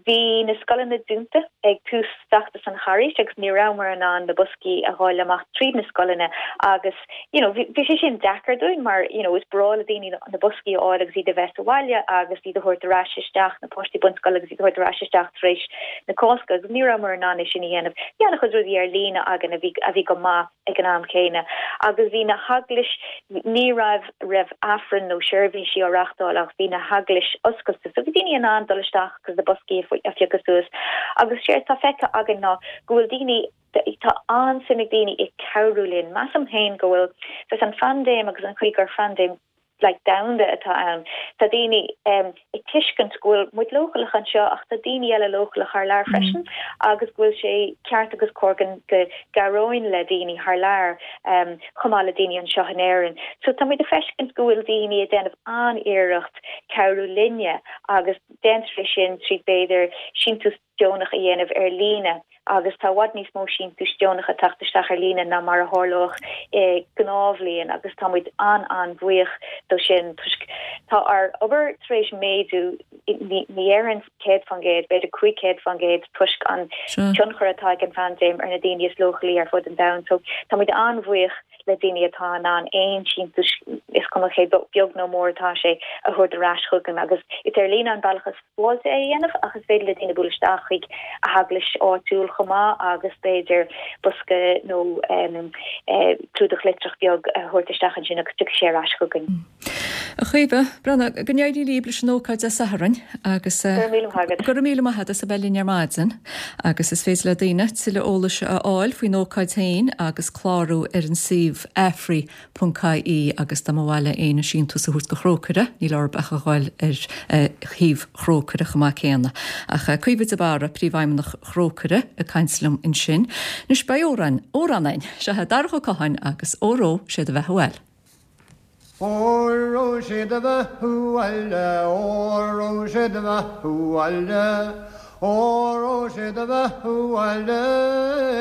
Bhí na scoileanna dúnta ag tús fheachtas an Charghais agus ní rabhamar in ann na boscaí a dháileadh amach tríd na scoileanna agus you know bhí sé sin deacair dúinn mar you know is breá le daoine na boscaí a fháil agus iad a bheith sa bhaile agus iad a thabhairt ar ais isteach na páistí bunscoile agus iad a thabhairt ar ais isteach tar éis na Cásca agus ní rabhamar in ann é sin a dhéanamh. Bhí an-chuid rudaí ar líne againn a bhí a bhí go maith ag an am céanna agus bhí na heaglais ní raibh raibh Aifreann nó seirbhísí á reáchtáil ach bhí na heaglais oscailte so bhí daoine in ann dul isteach agus na boscaí a phiocadh suas agus séard tá feicthe againn ná go bhfuil daoine tá an-suim ag daoine i cabhrú linn. Measaim féin go bhfuil saghas an phaindéim agus an chaoi gur phaindéim like domhanda atá ann. Tá daoine um, ag tuiscint go bhfuil muid leochaileach anseo ach tá daoine eile leochaileach thar lear freisin mm. agus go bhfuil sé ceart agus cóir go gcabhróinn le daoine thar lear um, chomh maith le daoine anseo in Éirinn. So tá muid ag feiscint go bhfuil daoine ag déanamh an-iarracht cabhrú linne agus déantar é sin trí b'fhéidir síntiús deonach a dhéanamh ar líne agus tá i bhfad níos mó síntiús deonach ag teacht isteach ar líne ná mar a tharlódh i ngnáthbhliain agus tá muid an-an-bhuíoch dó sin toisc tá ár obair tar éis méadú ní déarfainn céad faoin gcéad, b'fhéidir cúig chéad faoin gcéad toisc an tionchar atá ag an phaindéim ar na daoine is leochailí ar fud an domhain. So tá muid an-bhuíoch le daoine atá in ann aon síntiús is cuma cé beag nó mór atá sé a thabhairt ar ais chugainn agus is ar líne an bealach is sábháilte é a dhéanamh ach is féidir le daoine bualadh isteach chuig a heaglais áitiúil chomh maith agus b'fhéidir bosca nó um, eh, clúdach litreach beag a thabhairt isteach ansin agus tiocfaidh sé ar ais chugainn. A Chaoimhe, Breandán, go n-éirí libh leis an ócáid Dé Sathairn agus Go raibh míle maith agat. Go raibh míle maith agat as a bheith linn ar maidin agus is féidir le daoine tuilleadh eolais a fháil faoin ócáid féin agus clárú ar an suíomh afri ponc ie agus dá mba mhaith le éinne síntiús a thabhairt go Thrócaire, níl orthu ach a ghabháil ar shuíomh Thrócaire chomh maith céanna. Ach Caoimhe de Barra, príomhfheidhmeannach Thrócaire ag caint liom ansin. Anois beidh amhrán, amhrán againn, seo é Darach Ó Catháin agus Óró sé do bheatha abhaile. Óró sé do bheatha abhaile, óró sé do bheatha abhaile, Óró sé do bheatha abhaile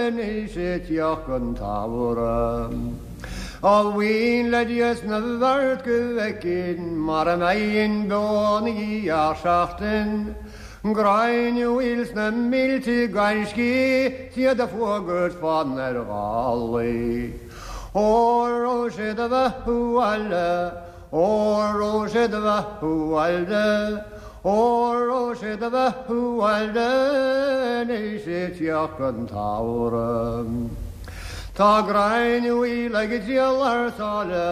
anois ag teacht an tsamhraidh. Almhaoin le Dia 's na bhfeart go bhfeicfinn mara mbeinn beo 'na dhiaidh seachtain, Gráinne mhaol sna mílte gaiscí 's iad ag fuagairt fann ar ghálaí. Óró sé do bheatha abhaile, óró sé do bheatha abhaile, Óró sé do bheatha abhaile anois ag teacht an tsamhraidh. Tá Gráinne Mhaol ag triall thar sáile,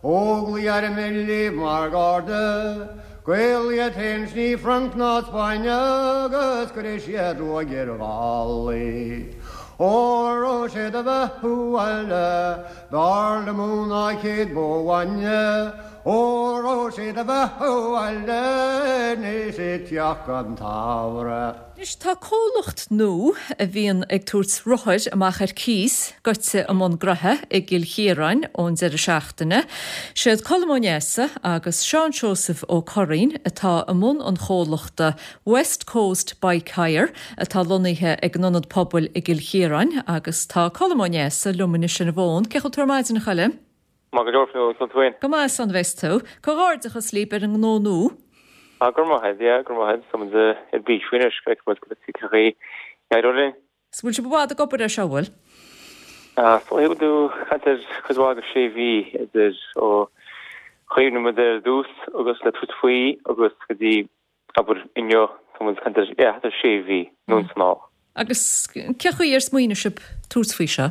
Óglaigh airm libh mar gharda, Gaeil iad féin 's ní Frainc ná Spáinn agus cuirfidh siad ruaig ar Ghallaigh. Óró sé do bheatha abhaile, b'fhearr liom thú ná céad bó bhainne, Óró sé do bheatha abhaile anois ag teacht an tsamhraidh. Anois tá comhlacht nua a bhíonn ag tabhairt rothair amach ar cíos goite i mbun graithe i gCill Chiaráin ón deireadh seachtaine. Siad Colm Ó Neasa agus Seán Seosamh Ó Curraoin atá i mbun an chomhlachta West Coast Bike Hire atá lonnaithe ag an Ionad Pobail i gCill Chiaráin agus tá Colm Ó Neasa liom anois ar an bhfón. Cén chaoi a bhfuil tú ar maidin a Choilm? Maith go leor Fionnuala, conas tá tú féin? Go maith slán a bheas tú. Comhghairdeachas libh ar an ngnó nua. Ah, go raibh maith agat, yeah, go raibh maith agat. Tá muid ar bís faoi anois, go bhfeicfidh muid cén chaoi a n-éireoidh linn. So bhfuil sibh i bhfad ag obair air seo, bhfuil? Ah, so bhfuil tú caint ar cuid mhaith de sé mhí idir ó chuimhnigh muid ar dtús agus le tabhairt faoi agus go dtí abair inniu, tá muid caint ar, yeah, thart ar sé mhí, anonn is anall. Agus cén chaoi ar smaoinigh sibh tabhairt faoi seo?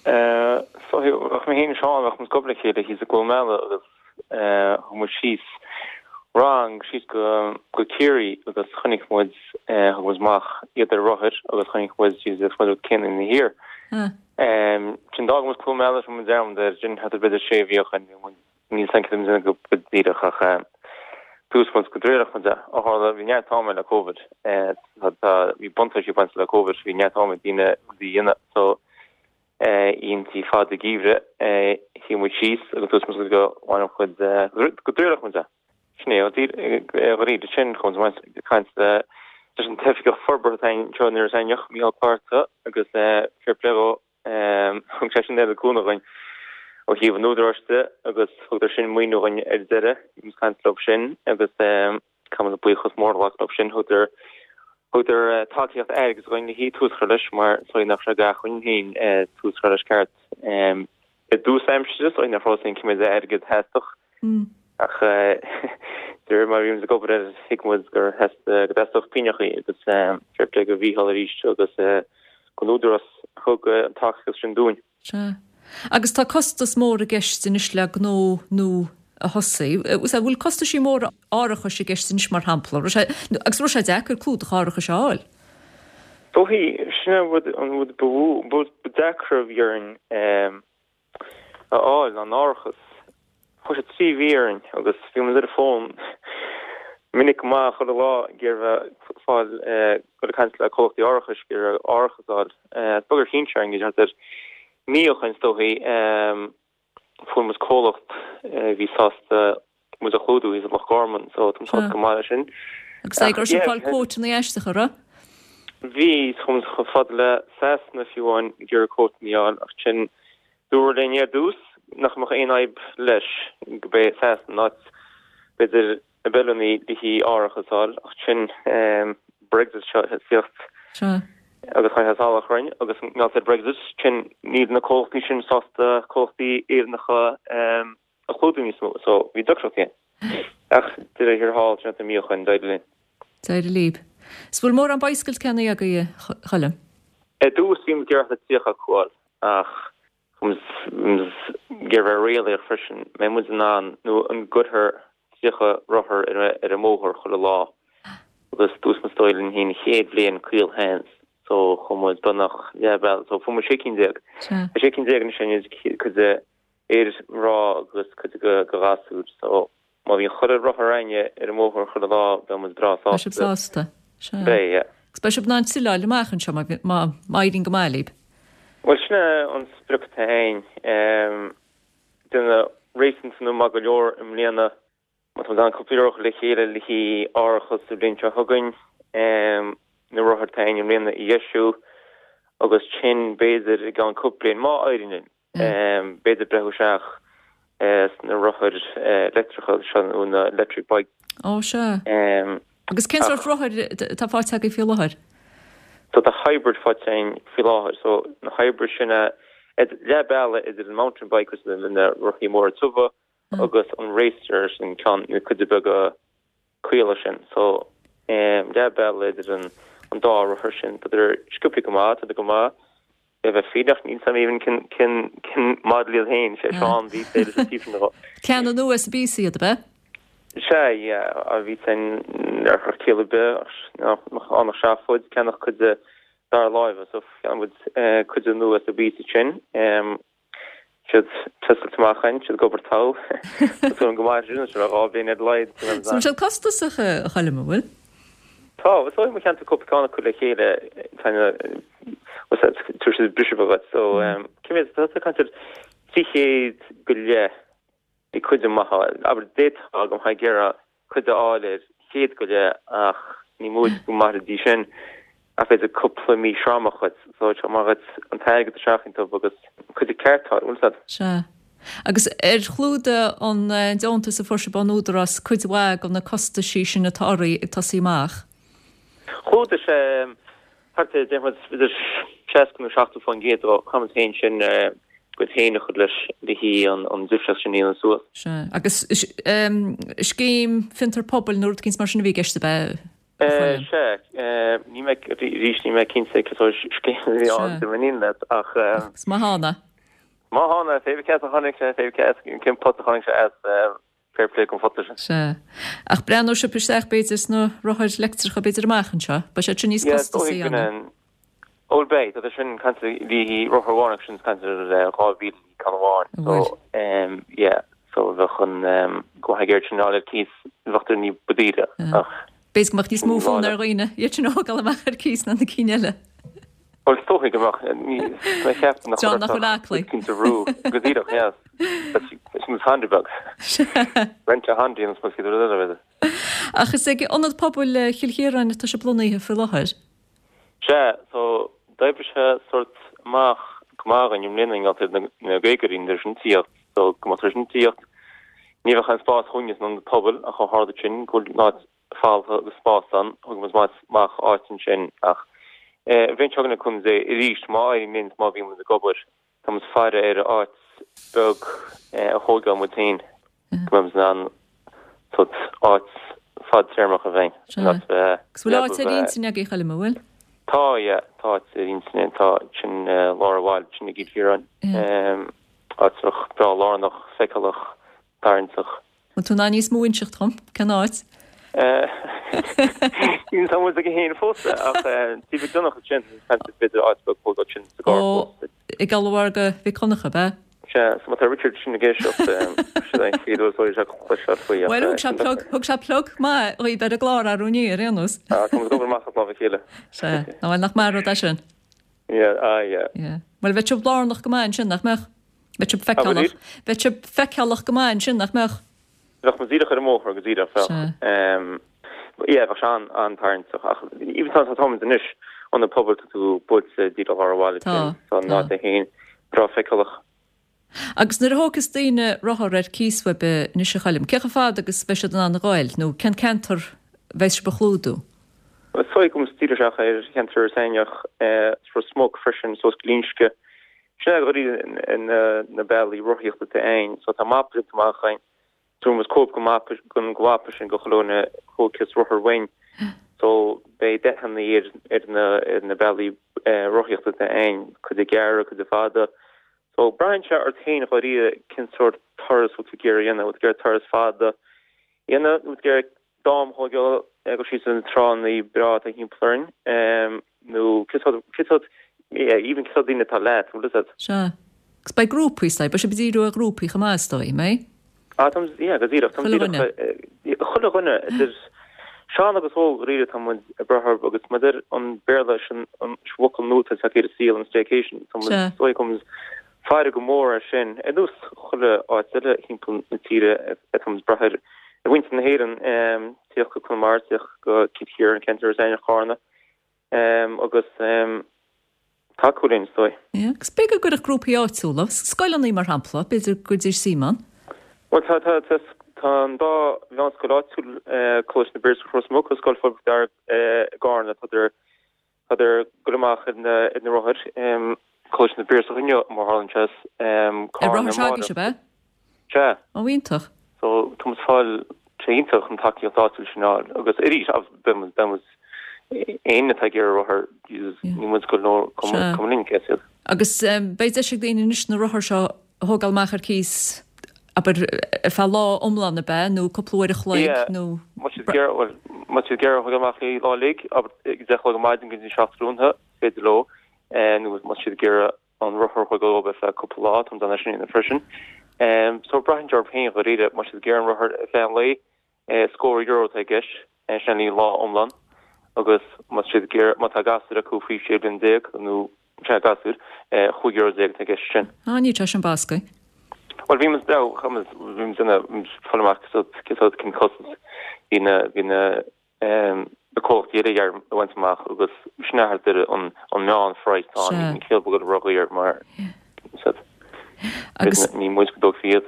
Eh, so bheadh mé féin is Seán, bheadh muid ag obair le chéile thíos i gCluain Meala agus eh, thug muid síos rang síos go go Ciarraí agus chonaic muid eh, thug muid amach iad ar rothair agus chonaic muid síos agus muid céanna ina thiar. Ah. Um, sin d'fhág muid Cluain Meala sin muid dearmad air, sin thart ar b'fhéidir sé mhí ó shin, bhí muid níl a fhios againn cad a go go díreach ach eh, dúirt muid go dtriailfeadh muid é. Ó tharla bhí neart ama le Covid, eh, tá tá bhí buntáistí ag baint le Covid, bhí neart ama ag daoine rudaí a dhéanamh so eh, oícheantaí fada geimhridh, eh, shuigh muid síos agus dúirt muid go bhfaigheadh muid eh, go dtriailfeadh muid é. Sin é, dháiríre sin chuaigh muid ag caint le leis an t-oifigeach forbartha atá anseo in Iorras Aithneach, Micheál Clárta, agus eh, fair play dhó, thug sé sin oiread cúnamh dhúinn. ó thaobh an údaráis de agus thugadar sin maoiniú dhúinn ar deireadh, bhí muid ag caint leo sin agus caithfidh muid buíochas mór a ghlacadh leo sin, thugadar thugadar tacaíocht airgid dhúinn le haghaidh tús a chur leis mar is dóigh nach raibh acmhainn againn féin tús a chur leis ceart. I dtús aimsire is dóigh nach raibh a fhios againn cé méid airgid a theastódh ach de réir mar a bhí muid ag obair air thuig muid gur go dteastódh pingneachaí agus fair play go Mhícheál arís agus don Údarás a thug an tacaíocht sin dúinn. Sea. Agus tá costas mór i gceist anois le gnó nua a thosú. An bhfuil costaisí móra árachais i gceist anois mar shampla? Agus raibh sé deacair clúdach árachais a fháil? Dóichí, sin an rud an rud ba mhó, ba deacra a bhí orainn a fháil ná an árachas. Chuaigh sé trí mhí orainn agus bhí muid ar an bhfón minic go maith chuile lá ag iarraidh fáil dul ag caint le comhlachtaí árachais ag iarraidh árachas a fháil. Is beag ar chinn sé orainn go dtí thart ar mí ó shoin is dóichí fuair muid comhlacht a bhí sásta muid a chlúdú thíos i Loch Garman so táim sásta go maith leis sin. Agus é go raibh sibh ag fáil quoteanna aisteacha, an raibh? Bhí, chuaigh muid chomh fada le Sasana fiú amháin ag iarraidh quoteanna a fháil ach ansin dúradh linn ar dtús nach mbeadh aon fhadhb leis go bé Sasana an áit b'fhéidir ab fheiliúnaí le haghaidh árachas a fháil ach ansin Brexit seo ag tíocht agus chuir sé salach orainn agus mar gheall ar Brexit sin níl na comhlachtaí sin sásta comhlachtaí Éireannacha a chlúdú níos mó so bhí deacrachtaí ann. Ach deireadh thiar thall sin an mí ó shoin d'éirigh linn. D'éirigh libh. Is bhfuil mórán bicycles ceannaithe agaibh a Choilm? Ar dtús bhí muid ag iarraidh tríocha acu a fháil ach bhí muid ag iarraidh bheith réalaíoch freisin. Mbeidh muid in ann nó an gcuirfear tríocha rothar ar an mbóthar chuile lá agus dúirt muid is dóigh linn féin an chéad bhliain caolsheans so chuaigh muid beagnach leath bealaigh so fuair muid sé cinn déag. Tá sé cinn déag anois againn cuid de fhir, mná agus cuid de do ghasúir so má bhíonn chuile rothar againne ar an mbóthar chuile lá beidh muid breá Beidh sibh sásta. sásta. Sea. Beidh, yeah. Agus beidh sibh in ann tuilleáil amach anseo má má má éiríonn go maith libh. Bhuel sin é an sprioc atá againn. Déanamh réasúnta nó maith go leor i mbliana. Má tá muid in ann cúpla euro a chur le chéile le haghaidh árachas sa bhliain seo chugainn, na rothair atá againn i mbliana a dheisiú agus ansin b'fhéidir i gceann cúpla bliain, má éiríonn linn, b'fhéidir breathnú isteach sna rothair leictreacha seo nó na electric bikes. Ó sea. Agus cén sórt rothair atá faighte agaibh faoi láthair? So tá hybrid faighte againn faoi láthair. So na hybrid sin leath bealaigh idir an mountain bike agus na rothaí móra tiubha agus an racer sin ceann na cuide beaga caola sin. So leath bealaigh idir an an dá rothar sin. Tá sciobtha go maith, tá go maith. Le bheith fírinneach níl a fhios agam even cén cén cén model iad féin, sé Seán bhí sé leis an taobh sin de. Ceanna nua sa bpíosa iad, ab ea? Sea, yeah, bhí sin ar chur ciall ar bith ach nach ann ach seafóid, ceannach cuid de dara láimhe, so cheannaigh muid cuid de nua sa bpíosa sin. Siad testailte amach againn, siad ag obair togha. Tá súil agam go mairfidh siad ar feadh dhá bhliain ar a laghad. So bhfuil siad costasach, a Choilm, an bhfuil? Tá, is dóigh má cheannaíonn tú cúpla ceann acu le chéile, tá na, tabharfaidh siad briseadh beag dhuit. So, cé mhéad, tá tú ag caint ar trí chéad go leith bhí cuid maith a fháil. Abair, d'fhéadfá go mbeifeá ag iarraidh cuid a fháil ar chéad go leith ach ní móide go mairfidís sin ach b'fhéidir cúpla mí sramach dhuit. So, tá maith dhuit an t-airgead a sheachaint dóibh agus cuid ceart a fháil, bhfuil a fhios agat? Sea. Agus ar chlúdaigh an deontas a fuair sibh ón Údarás cuid mhaith de na costaisí sin atá oraibh ag tosaí amach? Chlúdaigh sé thart ar, déarfaidh muid, idir seasca nó seachtó faoin gcéad de. Chaith muid féin sin gcuid féin a chur leis le haghaidh an difríocht sin a dhéanamh suas. Sea. Agus scéim fiontar pobail nó rud eicínt mar sin a bhí i gceist, ab ea? Sea. Níl mé, arís, níl mé cinnte cén sórt scéim a bhí ann, dá mba níon leat, ach. Is maith ann é. Má thána, pé ar bith cá as a tháinig sé, pé ar bith cá as, cén pota a tháinig sé as, fair play don phota sin. Sea. Ach breathnóidh sibh isteach b'fhéidir sna rothair leictreacha b'fhéidir amach anseo? Beidh siad sin níos Yeah, is costasaí dóigh go ann. n-, bhuel beidh, tá sin caint le haghaidh rothar amháin agus sin caint ar dhá mhíle le ceann amháin. An So, bhfuil? um, yeah, so bheadh an, um, go mbeadh air sin ar cíos, bheadh ní ba daoire, ach B'fhéidir go mbeadh níos mó ní fonn bhfáil. ar dhaoine iad sin a thógáil amach ar cíos ná na cinn eile. Bhuel, is dóigh go mbeadh, ní, mé cheapann nach John nach bhfuil aclaí. Cinnte rú, go díreach, yes. Sin is handy beag. Rent a handy an spás iad rud eile. Ach is ag Ionad Pobail Chill Chiaráin atá sibh lonnaithe faoi láthair. Sea, so d'oibrigh sé sort amach go maith againn i mbliana i ngeall ar na Gaeilgeoirí nuair sin tíocht. So go mbeadh tar éis tíocht ní bheadh an spás chugainne san ionad pobail ach ó tharla sin go bhfuil áit faltha agus spás ann thug muid amach áit ansin ach an bhliain seo chugainn le cúnamh Dé arís má éiríonn linn má bhíonn muid ag obair tá muid ag faire ar áit beag a thógáil muid féin go mbeidh muid in ann sórt áit fadtéarmach a bheith Sea. Agus bhfuil áit ar intinn agaibh a Choilm, an bhfuil? Tá, yeah, tá áit ar intinn, tá sin lár an bhaile, sin i gCill Chiaráin. Áit breá lárnach, feiceálach, tarraingteach. Bhfuil tú in ann níos mó a inseacht dhom? Cén áit? Níl a fhios agam féin fós ach Tí Mhic Donncha sin, b'fhéidir áit beag fós sin sa gcarr fós. I gColadh Mhic Donncha, ab ea? Sea, so má tá Richard sin ag éisteacht, sin é an chéad uair is dóigh sé cloisteáil faoi ach. Bhuel, thug sé plug, thug sé plug maith dhaoibh ar an gclár arú inné ar aon nós. Ah, tá muid ag obair amach as lámh a chéile. Sea, ná bhuel, nach maith an rud é sin? Yeah, ah yeah. Yeah. Bhuel, bheadh sibh lárnach go maith ansin, nach mbeadh? Bheadh sibh feiceálach. Bheadh sibh feiceálach go maith ansin, nach mbeadh? Bheadh muid díreach ar an mbóthar go díreach, bheadh. Yeah, bheadh sé an-tarraingteach ach even tá táimid anois ionad pobail tá tú buailte díreach lár an bhaile Tá, tá an áit é féin breá feiceálach. Agus nuair a thógfas daoine rothar ar cíos uaibh anois a Choilm, cé chomh fada agus bheidh siad in ann a ghoil nó cén ceantar bheas sibh a chlúdú? Is dóigh go mbeidh muid díreach isteach ar cheantar Iorras Aithneach, Ros Muc freisin, suas go Glinsce. Sin é dáiríre na bealaí rothaíochta atá ann. So tá mapa déanta amach againn. Fuair muid cóip den mhapa den mhapa sin do chuile dhuine a thógfas rothar uainn. So beidh dathanna ar ar na ar na bealaí rothaíochta atá ann, cuid gearra, cuid fada. So braitheann sé ort féin dháiríre cén sórt turas bhfuil tú ag iarraidh a dhéanamh, bhfuil tú ag iarraidh turas fada a dhéanamh, nó bhfuil tú ag iarraidh d'am a thógáil ag dul síos ar na tránna breá atá thimpeall orainn, nó cén sórt cén sórt yeah even cén sórt daoine atá leat, bhfuil fhios agat. Sea. Agus beidh grúpaí, is dóigh, beidh sibh ag díriú ar ghrúpaí chomh maith, is dóigh, an mbeidh? Ah, tá muid, yeah, go díreach, tá muid Chuile díreach, dhuine. chuile dhuine, idir sean agus óg, dháiríre, tá muid ag brath orthu agus mar a deir an Béarla, sin an focal nua atá tagtha ar an saol, an staycation, tá muid, Sea. is dóigh go muid ag faire go mór air sin, ar nós chuile áit eile thimpeall na tíre, tá muid ag brath ar mhuintir na hÉireann, tíocht go Conamara, tíocht go Cill Chiaráin, ceantar Iorras Aithneach, Carna, agus. tacú linn, is dóigh. Yeah, agus b'fhéidir go gcuirfeadh grúpaí áitiúla, scoileanna mar shampla, b'fhéidir go gcuirfidís suim ann. Bhuel, tá, tá, tá, tá an dá mheánscoil áitiúil, Coláiste na bPiarsach Ros Muc agus Scoil Phobail Mhic Dara i gCarna, tádar, tádar ag dul amach ar na, ar na rothair. Coláiste na bPiarsach inniu, mar a tharlaíonn sé, Ar Carna rothair s'agaibhse, ab ea? Sea. Ó, iontach. So, tá muid ag fáil, sé iontach an tacaíocht áitiúil sin a fháil agus arís, beidh muid, beidh muid, éinne atá ag iarraidh rothar, Jesus, níl muid ag goil nó cuma linn cé hiad. Agus beidh deis ag daoine anois na rothair seo a thógáil amach ar cíos, abair, ar feadh lá iomlán ab ea, nó cúpla uair a chloig, Yeah, nó. má tá siad ag iarraidh, bhuel, má tá siad ag iarraidh a thógáil amach le lá uilig, abair, ag deich a chlog ar maidin go dtí seacht tráthnóna, is féidir leo, nó má tá siad ag iarraidh an rothar a thógáil leo ar feadh cúpla lá, tá muid in ann é sin a dhéanamh freisin. So braitheann sé orthu féin dháiríre, má tá siad ag iarraidh an rothar ar feadh an lae, scór euro atá i gceist, sin le lá iomlán, agus má tá siad ag iarraidh, má tá gasúir acu faoi sé bliana déag nó sea gasúir, chúig euro déag atá i gceist sin. Á, níl sé sin bascaí. Bhuel, bhí muid, bhí muid, bhí muid ag fáil amach cén sórt cén costas bhí na, bhí na, na comhlachtaí eile a bhaint amach agus sin é thart ar an meánphraghas atá ann, ní céad go ródhaor mar Agus ní muid go dtógfaí iad.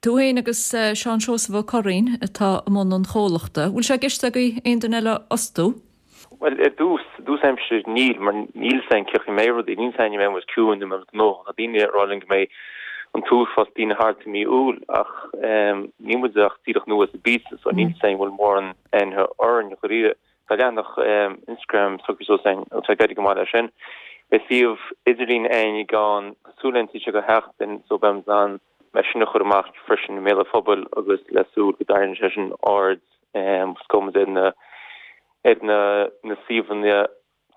Tú féin agus Seán Seosamh Ó Curraoin atá i mbun an chomhlachta. Bhfuil sé i gceist agaibh aon duine eile a fhostú? Bhuel, ar dtús, dtús aimsire níl, mar níl 'fhios a'inn cén chaoi a mbeidh rudaí, níl 'fhios a'inn an mbeidh muid ciúin nó an mbeidh muid gnóthach. Tá daoine ag rá linn go mbeidh an t-uafás daoine thart i mí Iúil ach níl muid ach díreach nua sa bpíosa so níl 'fhios a'inn an bhfuil mórán aithne orainn dháiríre. Tá leathanach Instagram socraithe suas a'inn agus tá ag éirí go maith leis sin. Beidh suíomh idirlín a'inn i gceann cosúil le an sé go sheachtain so beidh muid in ann é sin a chur amach freisin i mbéal an phobail agus le súil go dtarraingeoidh sé sin aird agus go mbeidh muid ar na ar na na suíomhanna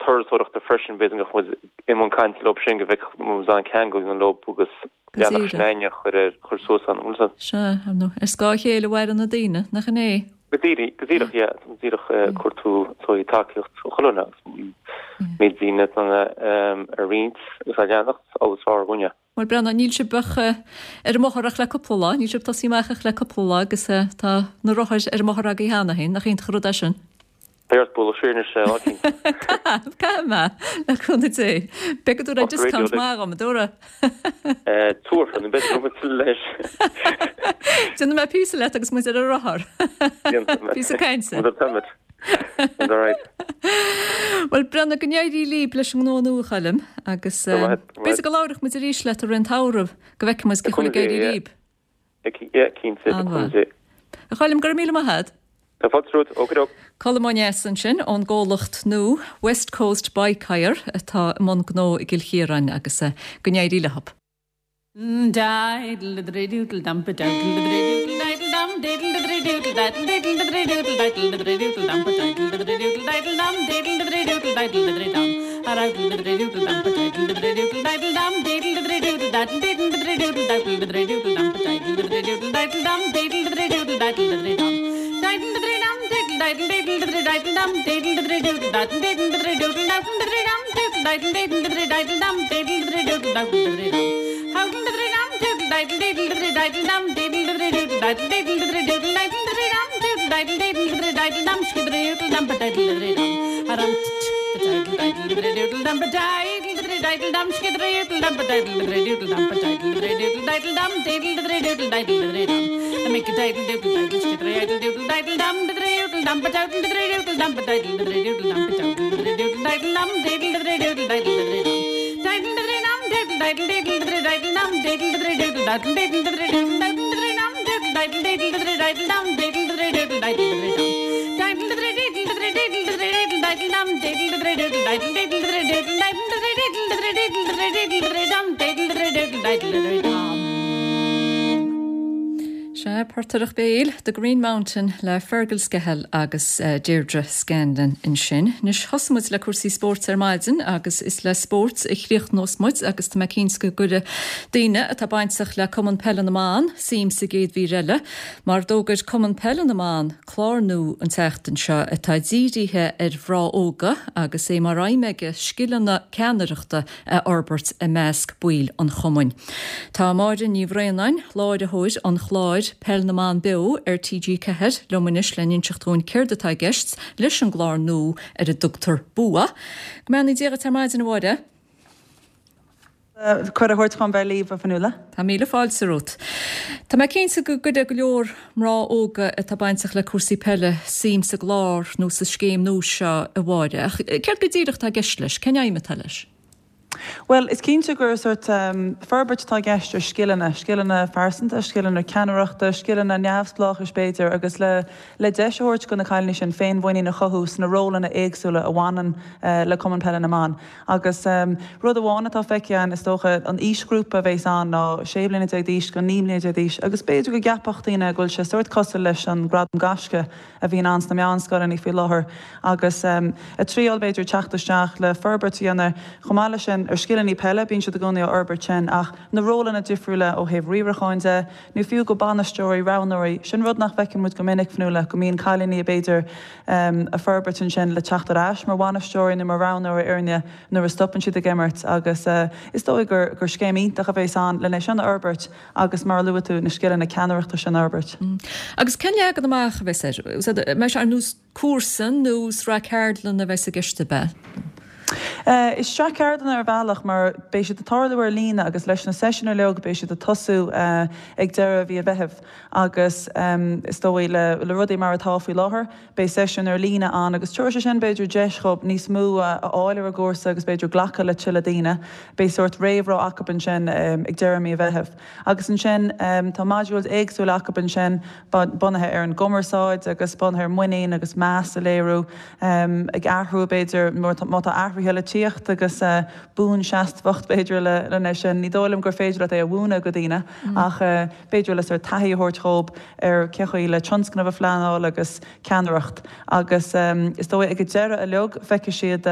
turasóireachta freisin, b'fhéidir go mbeadh muid i mbun cainte leo sin, go bhfeicfeadh muid an ceangal leo agus leathanach sin a'inn a chur ar chur suas ann, an bhfuil 'fhios a'd? Sea, ar ndóigh, ar scáth a chéile a mhaireann na daoine, nach in é? Go díreach, go díreach, yeah, tá muid díreach ag cuartú sórt tacaíocht ó chuile dhuine agus méid daoine atá a roinnt agus á leanacht, is fearr dhúinne. Bhuel, breathnaigh, níl sibh ach ar an mbóthar ach le cúpla lá, níl sibh tosaithe amach ach le cúpla lá agus tá na rothair ar an mbóthar agaibh cheana féin, nach iontach an rud é sin? Beidh ort bualadh siar anois lá eicínt. Caithfidh, caithfidh mé, le cúnamh Dé. Beidh go dtabharfaidh discount maith dhom, an dtabharfaidh? Tabharfaidh, nó b'fhéidir go bhfuil tuilleadh leis. Déanfaidh mé píosa leat agus muid ar an rothar. Píosa cainte. Muid ar táimid. All right. Bhuel, Brenna, go n-éirí libh leis an ngnó nua, a Choilm, agus b'fhéidir go labhróidh muid arís leat i rith an tsamhraidh, go bhfeicfidh muid cén chaoi a bhfuil ag éirí libh. Yeah, cinnte, le cúnamh Dé. A Choilm, go raibh míle maith agat. Tá fáilte romhat, okey-doke. Colm Ó Neasa ansin ón gcomhlacht nua West Coast Bike Hire atá i mbun gnó i gCill Chiaráin agus go n-éirí leo. Sea, portaireacht béil, The Green Mountain le Fergal Scahill agus Deirdre Scanlon ansin. Anois, thosaigh muid le cúrsaí spóirt ar maidin agus is le spórt a chríochnós muid agus tá mé cinnte go gcuirfidh daoine atá bainteach le Cumann Peile na mBan suim sa gcéad mhír eile, mar d'fhógair Cumann Peile na mBan clár nua an tseachtain seo atá dírithe ar mhná óga agus é mar aidhm aige scileanna ceannaireachta a fhorbairt i measc baill an chumainn. Tá Máire Ní Bhraonáin, láithreoir an chláir Peil na mBan Beo ar T G ceathair, liom anois le n-inseacht dúinn céard atá i gceist leis an gclár nua ar a dtugtar Bua. Go mbeannaí Dia dhuit ar maidin, a Mháire. Cuireadh a thabhairt chun bheith libh, a Fionnuala. Tá míle fáilte romhat. Tá mé cinnte go gcuirfidh go leor mná óga atá bainteach le cúrsaí peile suim sa gclár nó sa scéim nua seo, a Mháire. Ach céard go díreach atá i gceist leis? Cén aidhm atá leis? Bhuel, is cinnte gur sórt forbairt atá i gceist ar scileanna, scileanna phearsanta, scileanna ceannaireachta, scileanna neamhspleáchais b'fhéidir, agus le le deis a thabhairt do na cailíní sin féinmhuinín a chothú sna rólanna éagsúla a bhaineann le Cumann Peile na mBan. Agus rud amháin atá feicthe againn, is dócha, an aoisghrúpa a bheas ann ná sé bliana déag d'aois go naoi mbliana déag d'aois, agus b'fhéidir go gceapfadh daoine go bhfuil sé sórt cosúil leis an Gradam Gaisce a bhíonn ann sna meánscoileanna faoi láthair agus ag triail b'fhéidir teacht isteach le forbairt a dhéanamh chomh maith leis sin ar scileanna peile, bíonn siad i gcónaí á fhorbairt sin ach na rólanna difriúla ó thaobh riaracháin de nó fiú go bainisteoirí, roghnóirí, sin rud nach bhfeiceann muid go minic, Fionnuala, go mbíonn cailíní b'fhéidir ag forbairt ansin le teacht ar ais mar bhainisteoirí nó mar roghnóirí fhoirne nuair a stopann siad ag imirt agus is dóigh gur gur scéim iontach a bheas ann lena sin a fhorbairt agus mar a luaigh tú na scileanna ceannaireachta sin a fhorbairt. Agus cén leagan amach a bheas air? An mbeidh sé ar nós cúrsa nó sraith ceardlanna a bheas i gceist ab ea? Is sraith ceardlanna ar bhealach mar beidh siad ag tarlú ar líne agus leis na seisiúin uilig beidh siad ag tosú ag deireadh mhí an Mheithimh agus is dóigh le le rudaí mar atá faoi láthair beidh seisiúin ar líne ann agus tabharfaidh sé sin b'fhéidir deis dhóibh níos mó a fháil ar an gcúrsa agus b'fhéidir glacadh le tuilleadh daoine. Beidh sórt réamhrá acu ansin ag deireadh mí an Mheithimh agus ansin tá modules éagsúla acu ansin bunaithe ar an gcumarsáid agus bunaithe ar muinín agus meas a léiriú, ag athrú b'fhéidir, má tá athruithe le tíocht agus buanseasmhacht b'fhéidir lena sin. Ní dóigh liom gur féidir leat é a mhúineadh go daoine ach b'fhéidir le sórt taithí a thabhairt dhóibh ar cén chaoi le tionscnamh a phleanáil agus ceannaireacht. Agus is dóigh ag an deireadh uilig feicfidh siad,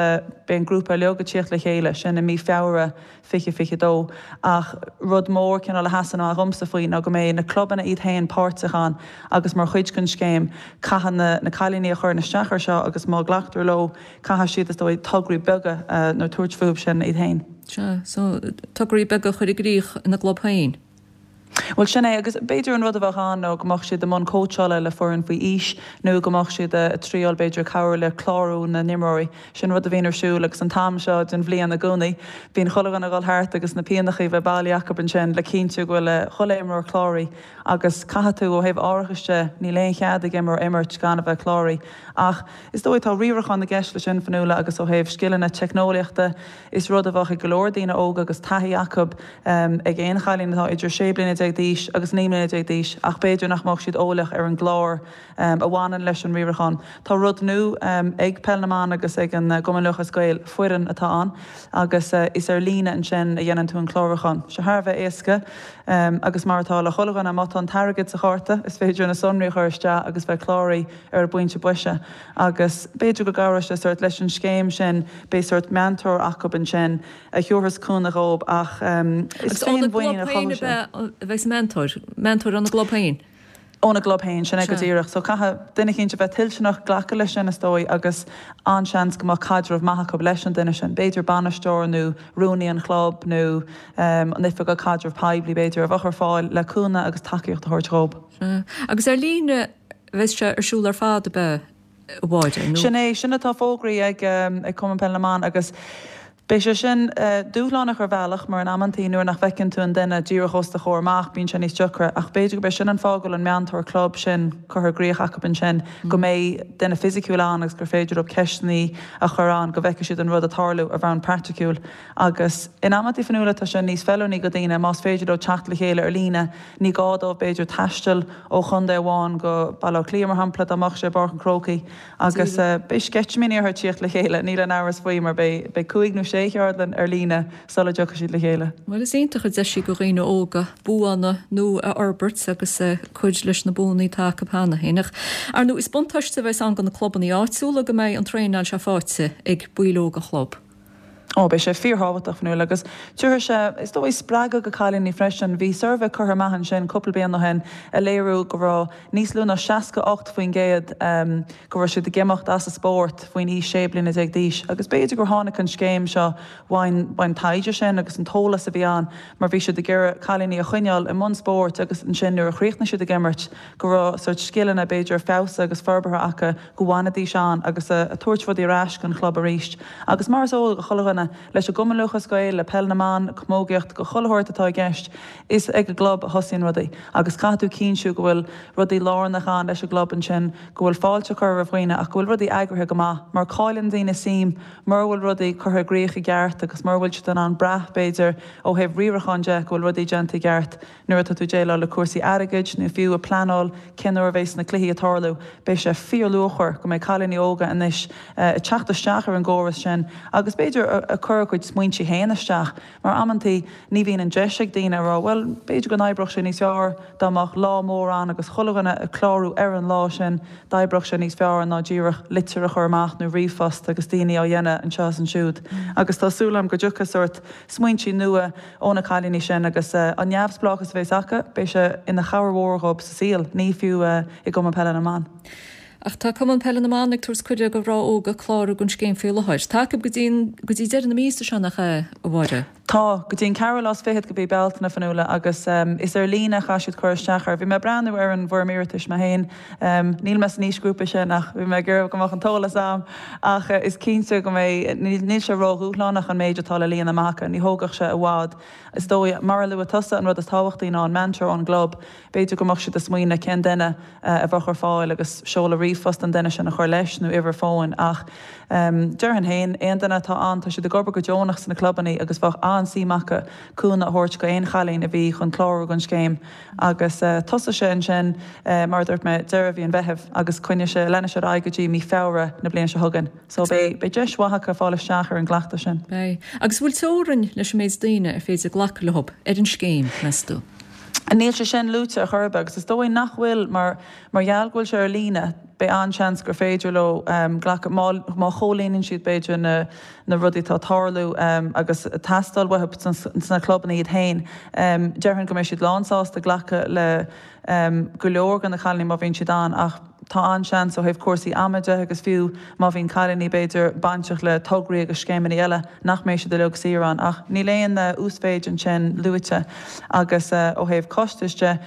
beidh an grúpa uilig ag tíocht le chéile, sin i mí Feabhra. fiche fiche dó. Ach rud mór cineál a sheasann amach dhomsa faoi ná go mbeidh na clubanna iad féin páirteach ann agus mar chuid den scéim caithfidh na na cailíní a chuireann isteach ar seo agus má ghlactar leo caithfidh siad is dóigh tograí beaga nó tabhairt fúthu sin iad féin. Sea, so tograí beaga a chur i gcrích ina gclub féin. Bhuel sin é, agus b'fhéidir an rud a bheadh ann nó go mbeadh siad i mbun cóitseála le foireann faoi aois nó go mbeadh siad ag triáil b'fhéidir cabhrú le clárú na n-imreoirí. Sin rud a bhíonn ar siúl agus an t-am seo den bhliain i gcónaí. Bíonn chuile dhuine ag dul thart agus na piannachaí bheith bailí acu ansin le cinntiú go bhfuil chuile imreoir cláraithe agus caithfidh tú ó thaobh árachais de, níl aon chead ag imreoir imirt gan a bheith cláraithe. Ach is dóigh tá riarachán i gceist leis sin, Fionnuala, agus ó thaobh scileanna teicneolaíochta, is rud a bheadh ag go leor daoine óga agus taithí acu ag aon chailín atá idir sé bliana déag d'aois agus naoi mbliana déag d'aois ach b'fhéidir nach mbeadh siad eolach ar an gclár a bhaineann leis an riarachán. Tá rud nua ag Peil na mBan agus ag an gCumann Lúthchleas Gael, foireann atá ann agus is ar líne ansin a dhéanann tú an clárúchán. Sé thar a bheith éasca agus mar atá le chuile dhuine, má tá an t-airgead sa chárta is féidir na sonraí a chur isteach agus bheith cláraithe ar an bpointe boise agus b'fhéidir go gcabhróidh sé sórt leis an scéim sin, beidh sórt meantóir acu ansin a thabharfas cúnamh dhóibh ach is Agus óna féinmhuinín gclub a féin chothódh sé. a bheidh an meantóir, meantóir óna gclub féin? Óna gclub féin, sin é go Sea. díreach. So caithfidh duine eicínt a bheith toilteanach glacadh leis sin is dóigh agus an-seans go mbeadh caidreamh maith acu leis an duine sin, b'fhéidir bainisteoir nó rúnaí an chlub nó an oifigeach caidreamh poiblí b'fhéidir, a bheadh ar fáil le cúnamh agus tacaíocht a thabhairt dhóibh. Sea. Agus ar líne a bheas sé ar siúl ar fad, ab ea, a Mháire, nó? Sin é, sin atá fógraithe ag ag Cumann Peile na mBan agus beidh sé sin dúshlánach ar bhealach mar in amantaí nuair nach bhfeiceann tú an duine díreach os do chomhair amach bíonn sé níos deacra ach b'fhéidir gurb é sin an fáth go bhfuil an meantóir club sin curtha i gcrích acu ansin, go mbeidh duine fisiciúil ann agus gur féidir leo ceisteanna a chur ann go bhfeicfidh siad an rud ag tarlú ar bhonn praiticiúil agus in amantaí Fionnuala tá sé níos feiliúnaí go daoine más féidir leo teacht le chéile ar líne ní gá dóibh b'fhéidir taisteal ó chontae amháin go Baile Átha Cliath mar shampla dá mbeadh sé i bPáirc an Chrócaigh agus beidh sceitimíní orthu tíocht le chéile, níl aon amhras faoi mar beidh beidh cúig nó sé cheardlann ar líne sula dtiocfaidh siad le chéile. Bhuel is iontach an deis í go dhaoine óga buanna nua a fhorbairt agus cur leis na buanna atá acu cheana féin. Ach ar ndóigh is buntáiste a bheas ann do na clubanna áitiúla go mbeidh an traenáil seo faighte ag baill óga an chlub. Ó, beidh sé fíorthábhachtach, Fionnuala, agus tabharfaidh sé, is dóigh, spreagadh go cailíní freisin. Bhí suirbhé curtha amach ansin cúpla bliain ó shin a léiriú go raibh níos lú ná seasca ocht faoin gcéad go raibh siad ag imeacht as an spórt faoin aois sé bliana déag d'aois agus b'fhéidir gur tháinig an scéim seo uaidh an taighde sin agus an t-eolas a bhí ann mar bhí siad ag iarraidh cailíní a choinneáil i mbun spóirt agus ansin nuair a chríochnaigh siad ag imirt go raibh sórt scileanna b'fhéidir feabhsaithe agus forbartha acu go bhfanfaidís ann agus a tabhairt rudaí ar ais don chlub arís. Agus mar is eol do chuile dhuine, leis an gCumann Lúthchleas Gael, le Peil na mBan, Camógaíocht, go chuile shórt atá i gceist, is ag an gclub a thosaíonn rudaí agus caithfidh tú cinntiú go bhfuil rudaí lárnach ann leis an gclub ansin, go bhfuil fáilte curtha roimh dhaoine ach go bhfuil rudaí eagraithe go maith mar cailleann daoine suim mura bhfuil rudaí curtha i gcrích i gceart agus mura bhfuil siad in ann brath, b'fhéidir, ó thaobh riaracháin de go bhfuil rudaí déanta i gceart. Nuair atá tú ag déileáil le cúrsaí airgid nó fiú ag pleanáil cén uair a bheas na cluichí ag tarlú, beidh sé fíorluachmhar go mbeidh cailíní óga anois ag teacht isteach ar an gcóras sin agus b'fhéidir ag cur a gcuid smaointe féin isteach mar amantaí ní bhíonn an deis ag daoine a rá bhuel b'fhéidir go n-oibreodh sé níos fearr dá mbeadh lá mór ann agus chuile dhuine ag clárú ar an lá sin, d'oibreodh sé níos fearr ná díreach litir a chur amach nó ríomhphost agus daoine á dhéanamh anseo is ansiúd. Agus tá súil agam go dtiocfaidh sórt smaointe nua ó na cailíní sin agus an neamhspleáchas a bheas acu, beidh sé ina chabhair mhór dhóibh sa saol, ní fiú i gCumann Peile na mBan. Ach tá Cumann Peile na mBan ag tabhairt cuireadh do mhná óga clárú don scéim faoi láthair. Tá acu go dtí go dtí deireadh na míosa seo nach ea, a Mháire? Tá, go dtí an ceathrú lá is fichead de mhí Bealtaine, a Fhionnuala, agus is ar líne a chaithfidh siad cur isteach air. Bhí mé ag breathnú ar an bhfoirm iarratais mé féin. Níl mé san aoisghrúpa sin ach bhí mé ag iarraidh go mbeadh an t-eolas a'm. Ach is cinnte go mbeidh, níl sé ródhúshlánach an méid atá le líonadh amach acu, ní thógfadh sé i bhfad. Is dóigh, mar a luaigh tusa, an rud is tábhachtaí ná an meantóir ón gclub. B'fhéidir go mbeadh siad ag smaoineamh cén duine a bheadh ar fáil agus seoladh ríomhphost an duine sin a chur leis nó uimhir fóin. Ach déarfainn féin, aon duine atá ann, tá siad ag obair go deonach sna clubanna agus bheadh an-suim acu cúnamh a thabhairt go aon chailín a bhí chun clárú don scéim. Agus tosóidh sé ansin, mar a dúirt mé, deireadh mhí an Mheithimh agus coinneoidh sé, leanfaidh sé ar aghaidh go dtí mí Feabhra na bliana seo chugainn. So beidh, beidh deis mhaith acu fáil isteach ar an gcleachtadh sin. Beidh. Agus bhfuil teorainn leis an méid daoine ar féidir glacadh leo ar an scéim, meas tú? Níl sé sin luaite ar chor ar bith agus is dóigh nach bhfuil mar mar gheall go bhfuil sé ar líne beidh an-seans gur féidir leo glacadh má má chomhlíonann siad b'fhéidir na na rudaí atá ag tarlú agus ag teastáil uathu sna clubanna iad féin. Déarfainn go mbeidh siad lánsásta glacadh le go leor de na cailíní má bhíonn siad ann ach tá an-seans ó thaobh cúrsaí ama de agus fiú má bhíonn cailíní b'fhéidir bainteach le tograí agus scéimeanna eile nach mbeidh siad uilig saor ann ach níl aon uasmhéid ansin luaite agus ó thaobh costais de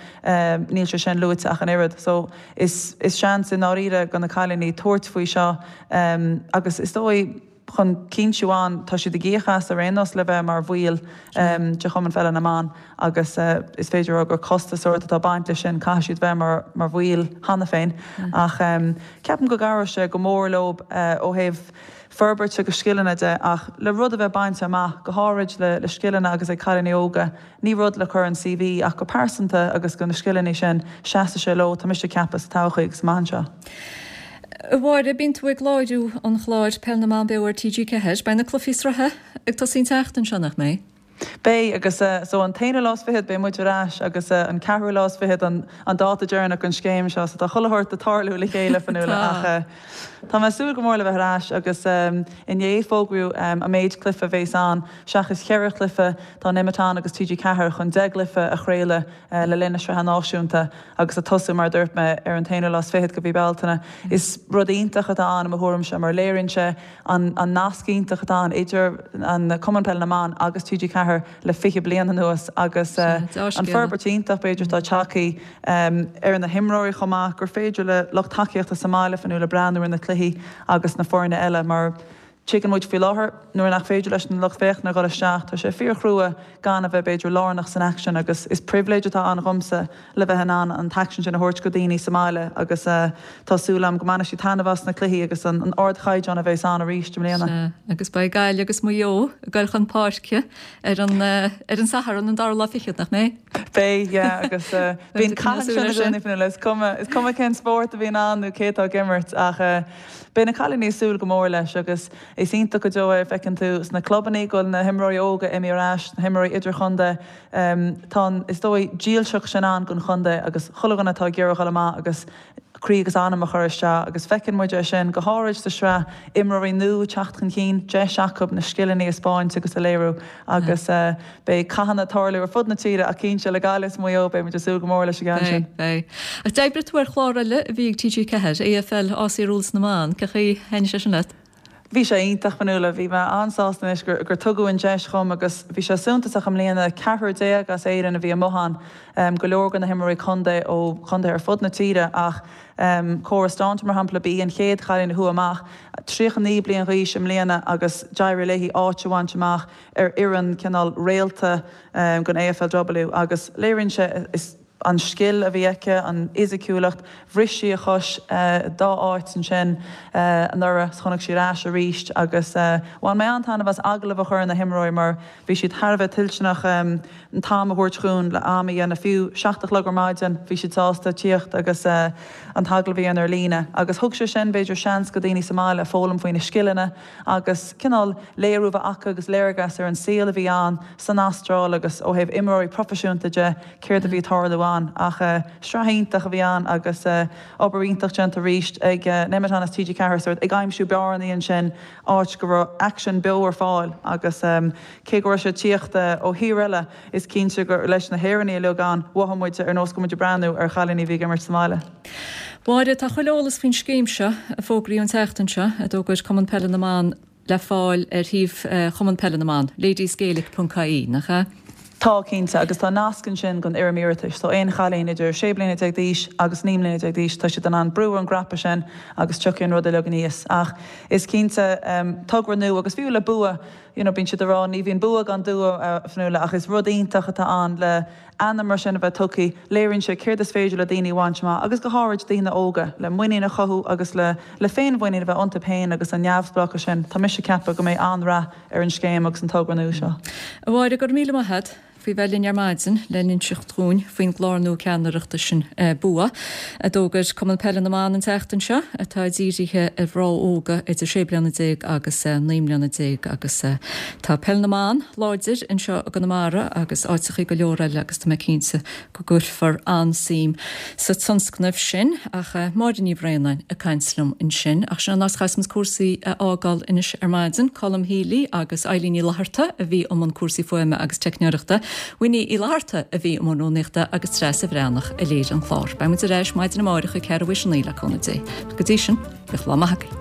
níl sé sin luaite ach an oiread. So is is seans i ndáiríre go na cailíní tabhairt faoi seo agus is dóigh chun cinntiú an tá siad ag íoc as ar aon nós le bheith mar bhaill de Chumann Pheile na mBan agus is féidir a rá gur costas sórt atá baint leis sin, caithfidh siad bheith mar mar bhaill cheana féin. Ach ceapaim go gcabhróidh sé go mór leo ó thaobh forbairt agus scileanna de ach le rud a bheith bainte amach, go háirid le le scileanna agus ag cailíní óga, ní rud le cur an CV ach go pearsanta agus go na scileanna sin seasfaidh sé leo, tá mise ag ceapadh sa todhchaí agus amach anseo. A Mháire, bíonn tú ag láithriú an chláir Peil na mBan Beo ar TG Ceathair. Beidh na cluichí sraithe ag tosaí an tseachtain seo, nach mbeidh? Beidh, agus so an t-aonú lá is fichead beidh muid ar ais agus an ceathrú lá is fichead an an dáta deireanach don scéim seo so tá chuile shórt ag tarlú le chéile Fionnuala ach tá mé ag súil go mór le bheith ar ais agus inné fógraíodh an méid cluiche a bhéas ann seachas cheithre chluiche tá Nemeton agus TG Ceathair chun deich gcluiche a chraoladh le linn na Sraithe Náisiúnta agus ag tosú, mar a dúirt mé, ar an t-aonú lá is fichead de mhí Bealtaine. Is rud iontach atá ann i mo thuairimse mar léiríonn sé an an nasc iontach atá ann idir an Cumann Peile na mBan agus TG Ceathair le fiche bliain anuas agus an forbairt iontach b'fhéidir atá tagtha ar na himreoirí chomh maith gur féidir le lucht tacaíochta sa mbaile Fionnuala breathnú ar na cluichí agus na foirne eile mar Tuigeann muid faoi láthair, nuair nach féidir leis an lucht féachana a dhul isteach, tá sé fíorchrua gan a bheith, b'fhéidir, lárnach san aicsean agus is pribhléid atá ann dhomsa le bheith in ann an t-aicsean sin a thabhairt go daoine sa mbaile agus tá súil agam go mbainfidh siad taitneamh as na cluichí agus an ardchaighdeán a bheas ann arís i mbliana. Sea, agus beidh Gaillimh agus Maigh Eo ag dul chun páirce ar an ar an Satharn, an dara lá fichead, nach mbeidh? Beidh, yeah, agus bíonn cath ansin i gcónaí, Fionnuala, is cuma, is cuma cén spórt a bhíonn ann nó cé atá ag imirt ach beidh na cailíní ag súil go mór leis agus is iontach go deo é, feiceann tú sna clubannaí go bhfuil na himreoirí óga imithe ar ais, na himreoirí idirchontae, tá an, is dóigh, dílseacht sin ann don chontae agus chuile dhuine atá ag iarraidh dhul amach agus croí agus anam a chur isteach agus feiceann muid é sin go háirid sa sraith, imreoirí nua ag teacht chun cinn, deis acu na scileanna a 'spáint agus a léiriú agus beidh cathanna ag tarlú ar fud na tíre ach cinnte le Gaillimh is Maigh Eo beidh muid ag súil go mór leis an gceann sin. Beidh, beidh. Ach d'oibrigh tú ar chlár eile a bhí ag TG Ceathair, AFL, AFL Rules na mBan, cén chaoi a thaitnigh sé sin leat? Bhí sé iontach, Fionnuala. Bhí mé an-sásta anois gur gur tugadh an deis dhom agus bhí sé suntasach i mbliana, ceathrar déag as Éirinn a bhí amuigh ann, go leor de na himreoirí contae ó chontaetha ar fud na tíre ach Cora Staunton mar shampla, ba í an chéad chailín a chuaigh amach, tríocha naoi bliain d'aois i mbliana agus d'éirigh léi áit a bhaint amach ar fhoireann cineál réalta den AFLW agus léiríonn sé is an scil a bhí aici, an fhisiciúlacht, bhris sí a chois dá áit ansin anuraidh 's tháinig sí ar ais arís agus bhain mé an-taitneamh as agallamh a chur ar na himreoirí mar bhí siad thar a bheith toilteanach an t-am a thabhairt dhúinn le am a dhéanamh, fiú seacht a chlog ar maidin bhí siad sásta tíocht agus an t-agallamh a dhéanamh ar líne agus thug sé sin b'fhéidir seans go daoine sa mbaile foghlaim faoi na scileanna agus cineál léiriú a bheith acu agus léargas ar an saol a bhí ann san Astráil agus ó thaobh imreoirí proifisiúnta de céard a bhí ag tarlú ann. Ach sraith iontach a bhí ann agus obair iontach déanta arís ag Nemeton is TG Ceathair sórt ag aimsiú bearnaí ansin áit go raibh aicsean beo ar fáil agus cé go raibh sé ag tíocht ó thír eile is cinnte gur leis na hÉireannaigh uilig ann mhothaigh muid ar nós go raibh muid ag breathnú ar chailíní a bhí ag imirt sa mbaile. Máire, tá chuile eolas faoin scéim seo a fógraíodh an tseachtain seo, a d'fhógair Cumann Peile na mBan le fáil ar shuíomh Chumann Peile na mBan, ladiesgaelic ponc ie, nach ea? Tá, cinnte, agus tá nasc ansin don fhoirm iarratais, so aon chailín idir sé bliana déag d'aois agus naoi mbliana déag d'aois, tá siad in ann brú ar an gcnaipe sin agus tiocfaidh an rud uilig aníos. Ach is cinnte, togra nua agus fiú le bua, you know, bíonn siad ag rá ní bhíonn bua gan dua, a Fionnuala, ach is rud iontach atá ann le ainm mar sin a bheith tugtha, léiríonn sé céard is féidir le daoine a bhaint amach agus go háirid daoine óga, le muinín a chothú agus le le féinmhuinín a bheith iontu féin agus an neamhspleáchas sin. Tá mise ag ceapadh go mbeidh an-rath ar an scéim agus an togra nua seo. A Mháire, go raibh míle maith agat faoi bheith linn ar maidin le n-inseacht dhúinn faoin gclár nua ceannaireachta sin Bua, a d'fhógair Cumann Peile na mBan an tseachtain seo, atá dírithe ar mhná óga idir sé bliana déag agus naoi mbliana déag agus tá Peil na mBan láidir anseo i gConamara agus áiteachaí go leor eile agus tá mé cinnte go gcuirfear an-suim sa tionscnamh sin. Ach Máire Ní Bhraonáin ag caint liom ansin. Ach sin an áit a chaithfeas muid cúrsaí a fhágáil anois ar maidin. Colm Healy agus Eileen Ní Fhlatharta a bhí i mbun cúrsaí fuaime agus teicneoireachta. Winnie Uí Fhlatharta a bhí i mbun rúnaíochta agus Treasa Bhreathnach a léirigh an clár. Beidh muid ar ais maidin amárach ag ceathrú théis a naoi le cúnamh Dé. Go dtí sin, bíodh lá maith agaibh.